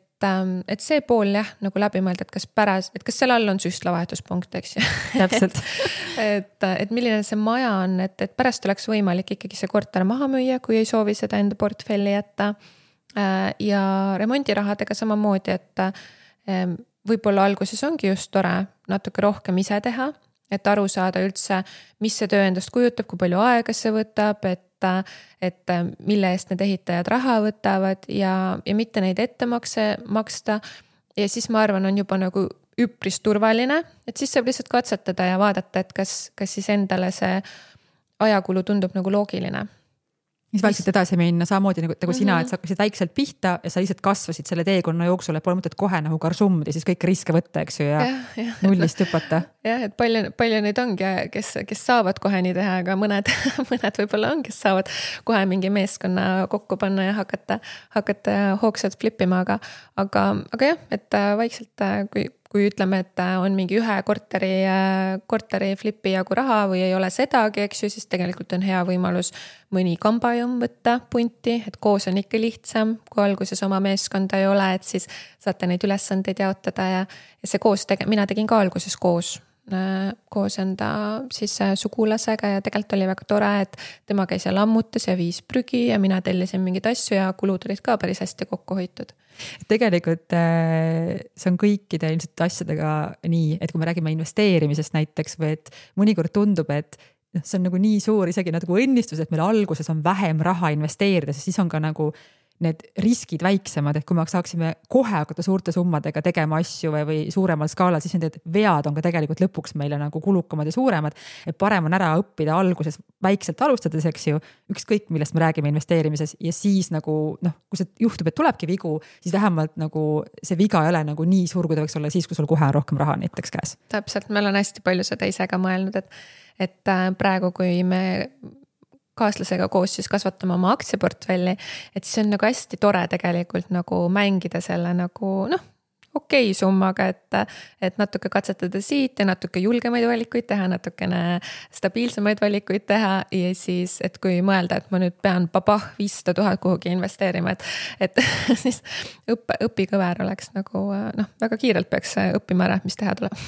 see pool jah, nagu läbi mõelda, et kas seal all on süstlavahetuspunkt, eks ju. Täpselt. et milline see maja on, et pärast oleks võimalik ikkagi see korter maha müüa, kui ei soovi seda enda portfelli jätta. Ja remondirahadega samamoodi, et võib-olla alguses ongi just tore natuke rohkem ise teha, et aru saada üldse, mis see töö endast kujutab, kui palju aega see võtab, et mille eest need ehitajad raha võtavad ja mitte neid ettemakse maksta. Ja siis ma arvan, on juba nagu üpris turvaline, et siis saab lihtsalt katsetada ja vaadata, et kas siis endale see ajakulu tundub nagu loogiline. Siis vaikselt edasi minna samamoodi nagu sina, et sa hakkasid väikselt pihta ja sa lihtsalt kasvasid selle teekonna jooksul, et pole mõtet kohe nagu karsumdi, siis kõik riske võtta, eks ju, ja nullist hüpata. Jah, et palju neid ongi, kes saavad kohe nii teha, aga mõned võib-olla on, kes saavad kohe mingi meeskonna kokku panna ja hakata hoogsalt flippima, aga jah, et vaikselt, kui ütleme, et on mingi ühe korteri flipi jagu raha või ei ole sedagi, eks ju, siis tegelikult on hea võimalus mõni kambajum võtta punti, et koos on ikka lihtsam, kui alguses oma meeskonda ei ole, et siis saate neid ülesandeid jaotada ja see koos, mina tegin ka alguses koos enda siis sugulasega ja tegelikult oli väga tore, et tema käis ja lammutas ja viis prügi ja mina tellisin mingid asju ja kulud olid ka päris hästi kokku hoitud. Tegelikult see on kõikide ilmselt asjadega nii, et kui me räägime investeerimisest näiteks või et mõnikord tundub, et see on nagu nii suur isegi nagu õnnistus, et meil alguses on vähem raha investeerida, sest siis on ka nagu need riskid väiksemad, et kui me saaksime kohe hakata suurte summadega tegema asju või suuremal skaalal, siis need vead on ka tegelikult lõpuks meile nagu kulukamad ja suuremad, et parem on ära õppida alguses väikselt alustades, eks ju, ükskõik millest me räägime investeerimises ja siis nagu kui see juhtub, et tulebki vigu, siis vähemalt nagu see viga ei ole nagu nii suur, kui ta võiks olla siis, kui sul kohe on rohkem raha näiteks käes. Täpselt, meil on hästi palju seda ise ka mõelnud, et praegu, kui me kaaslasega koos siis kasvatame oma aktsiaportfelli, et siis on nagu hästi tore tegelikult nagu mängida selle nagu okei summaga, et natuke katsetada siit ja natuke julgemaid valikuid teha, natukene stabiilsemaid valikuid teha ja siis, et kui mõelda, et ma nüüd pean 500 000 kuhugi investeerima, et siis õpikõver oleks nagu väga kiirelt peaks õppima ära, mis teha tuleb.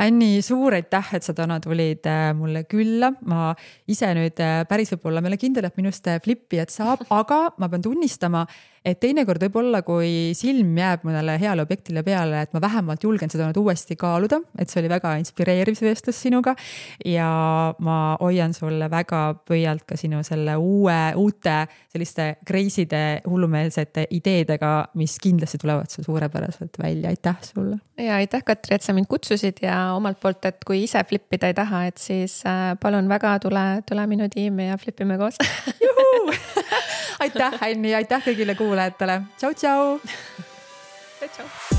Anni, suur aitäh, et sa täna tulid mulle külla. Ma ise nüüd päris võib-olla meile kindel, et minust flippi, et saab, aga ma pean tunnistama, et teinekord võib-olla, kui silm jääb mõnele heale objektile peale, et ma vähemalt julgen seda nüüd uuesti kaaluda, et see oli väga inspireeriv see vestlus sinuga ja ma hoian sulle väga pöialt ka sinu selle uute selliste crazy'de, hullumeelsete ideedega, mis kindlasti tulevad sul suurepäraselt välja. Aitäh sulle! Ja aitäh, Katri, et sa mind kutsusid ja omalt poolt, et kui ise flippida ei taha, et siis palun väga, tule minu tiimi ja flipime koos. Aitäh, Anni, aitäh kõigile kuulajatele. Tšau, tšau! Tšau!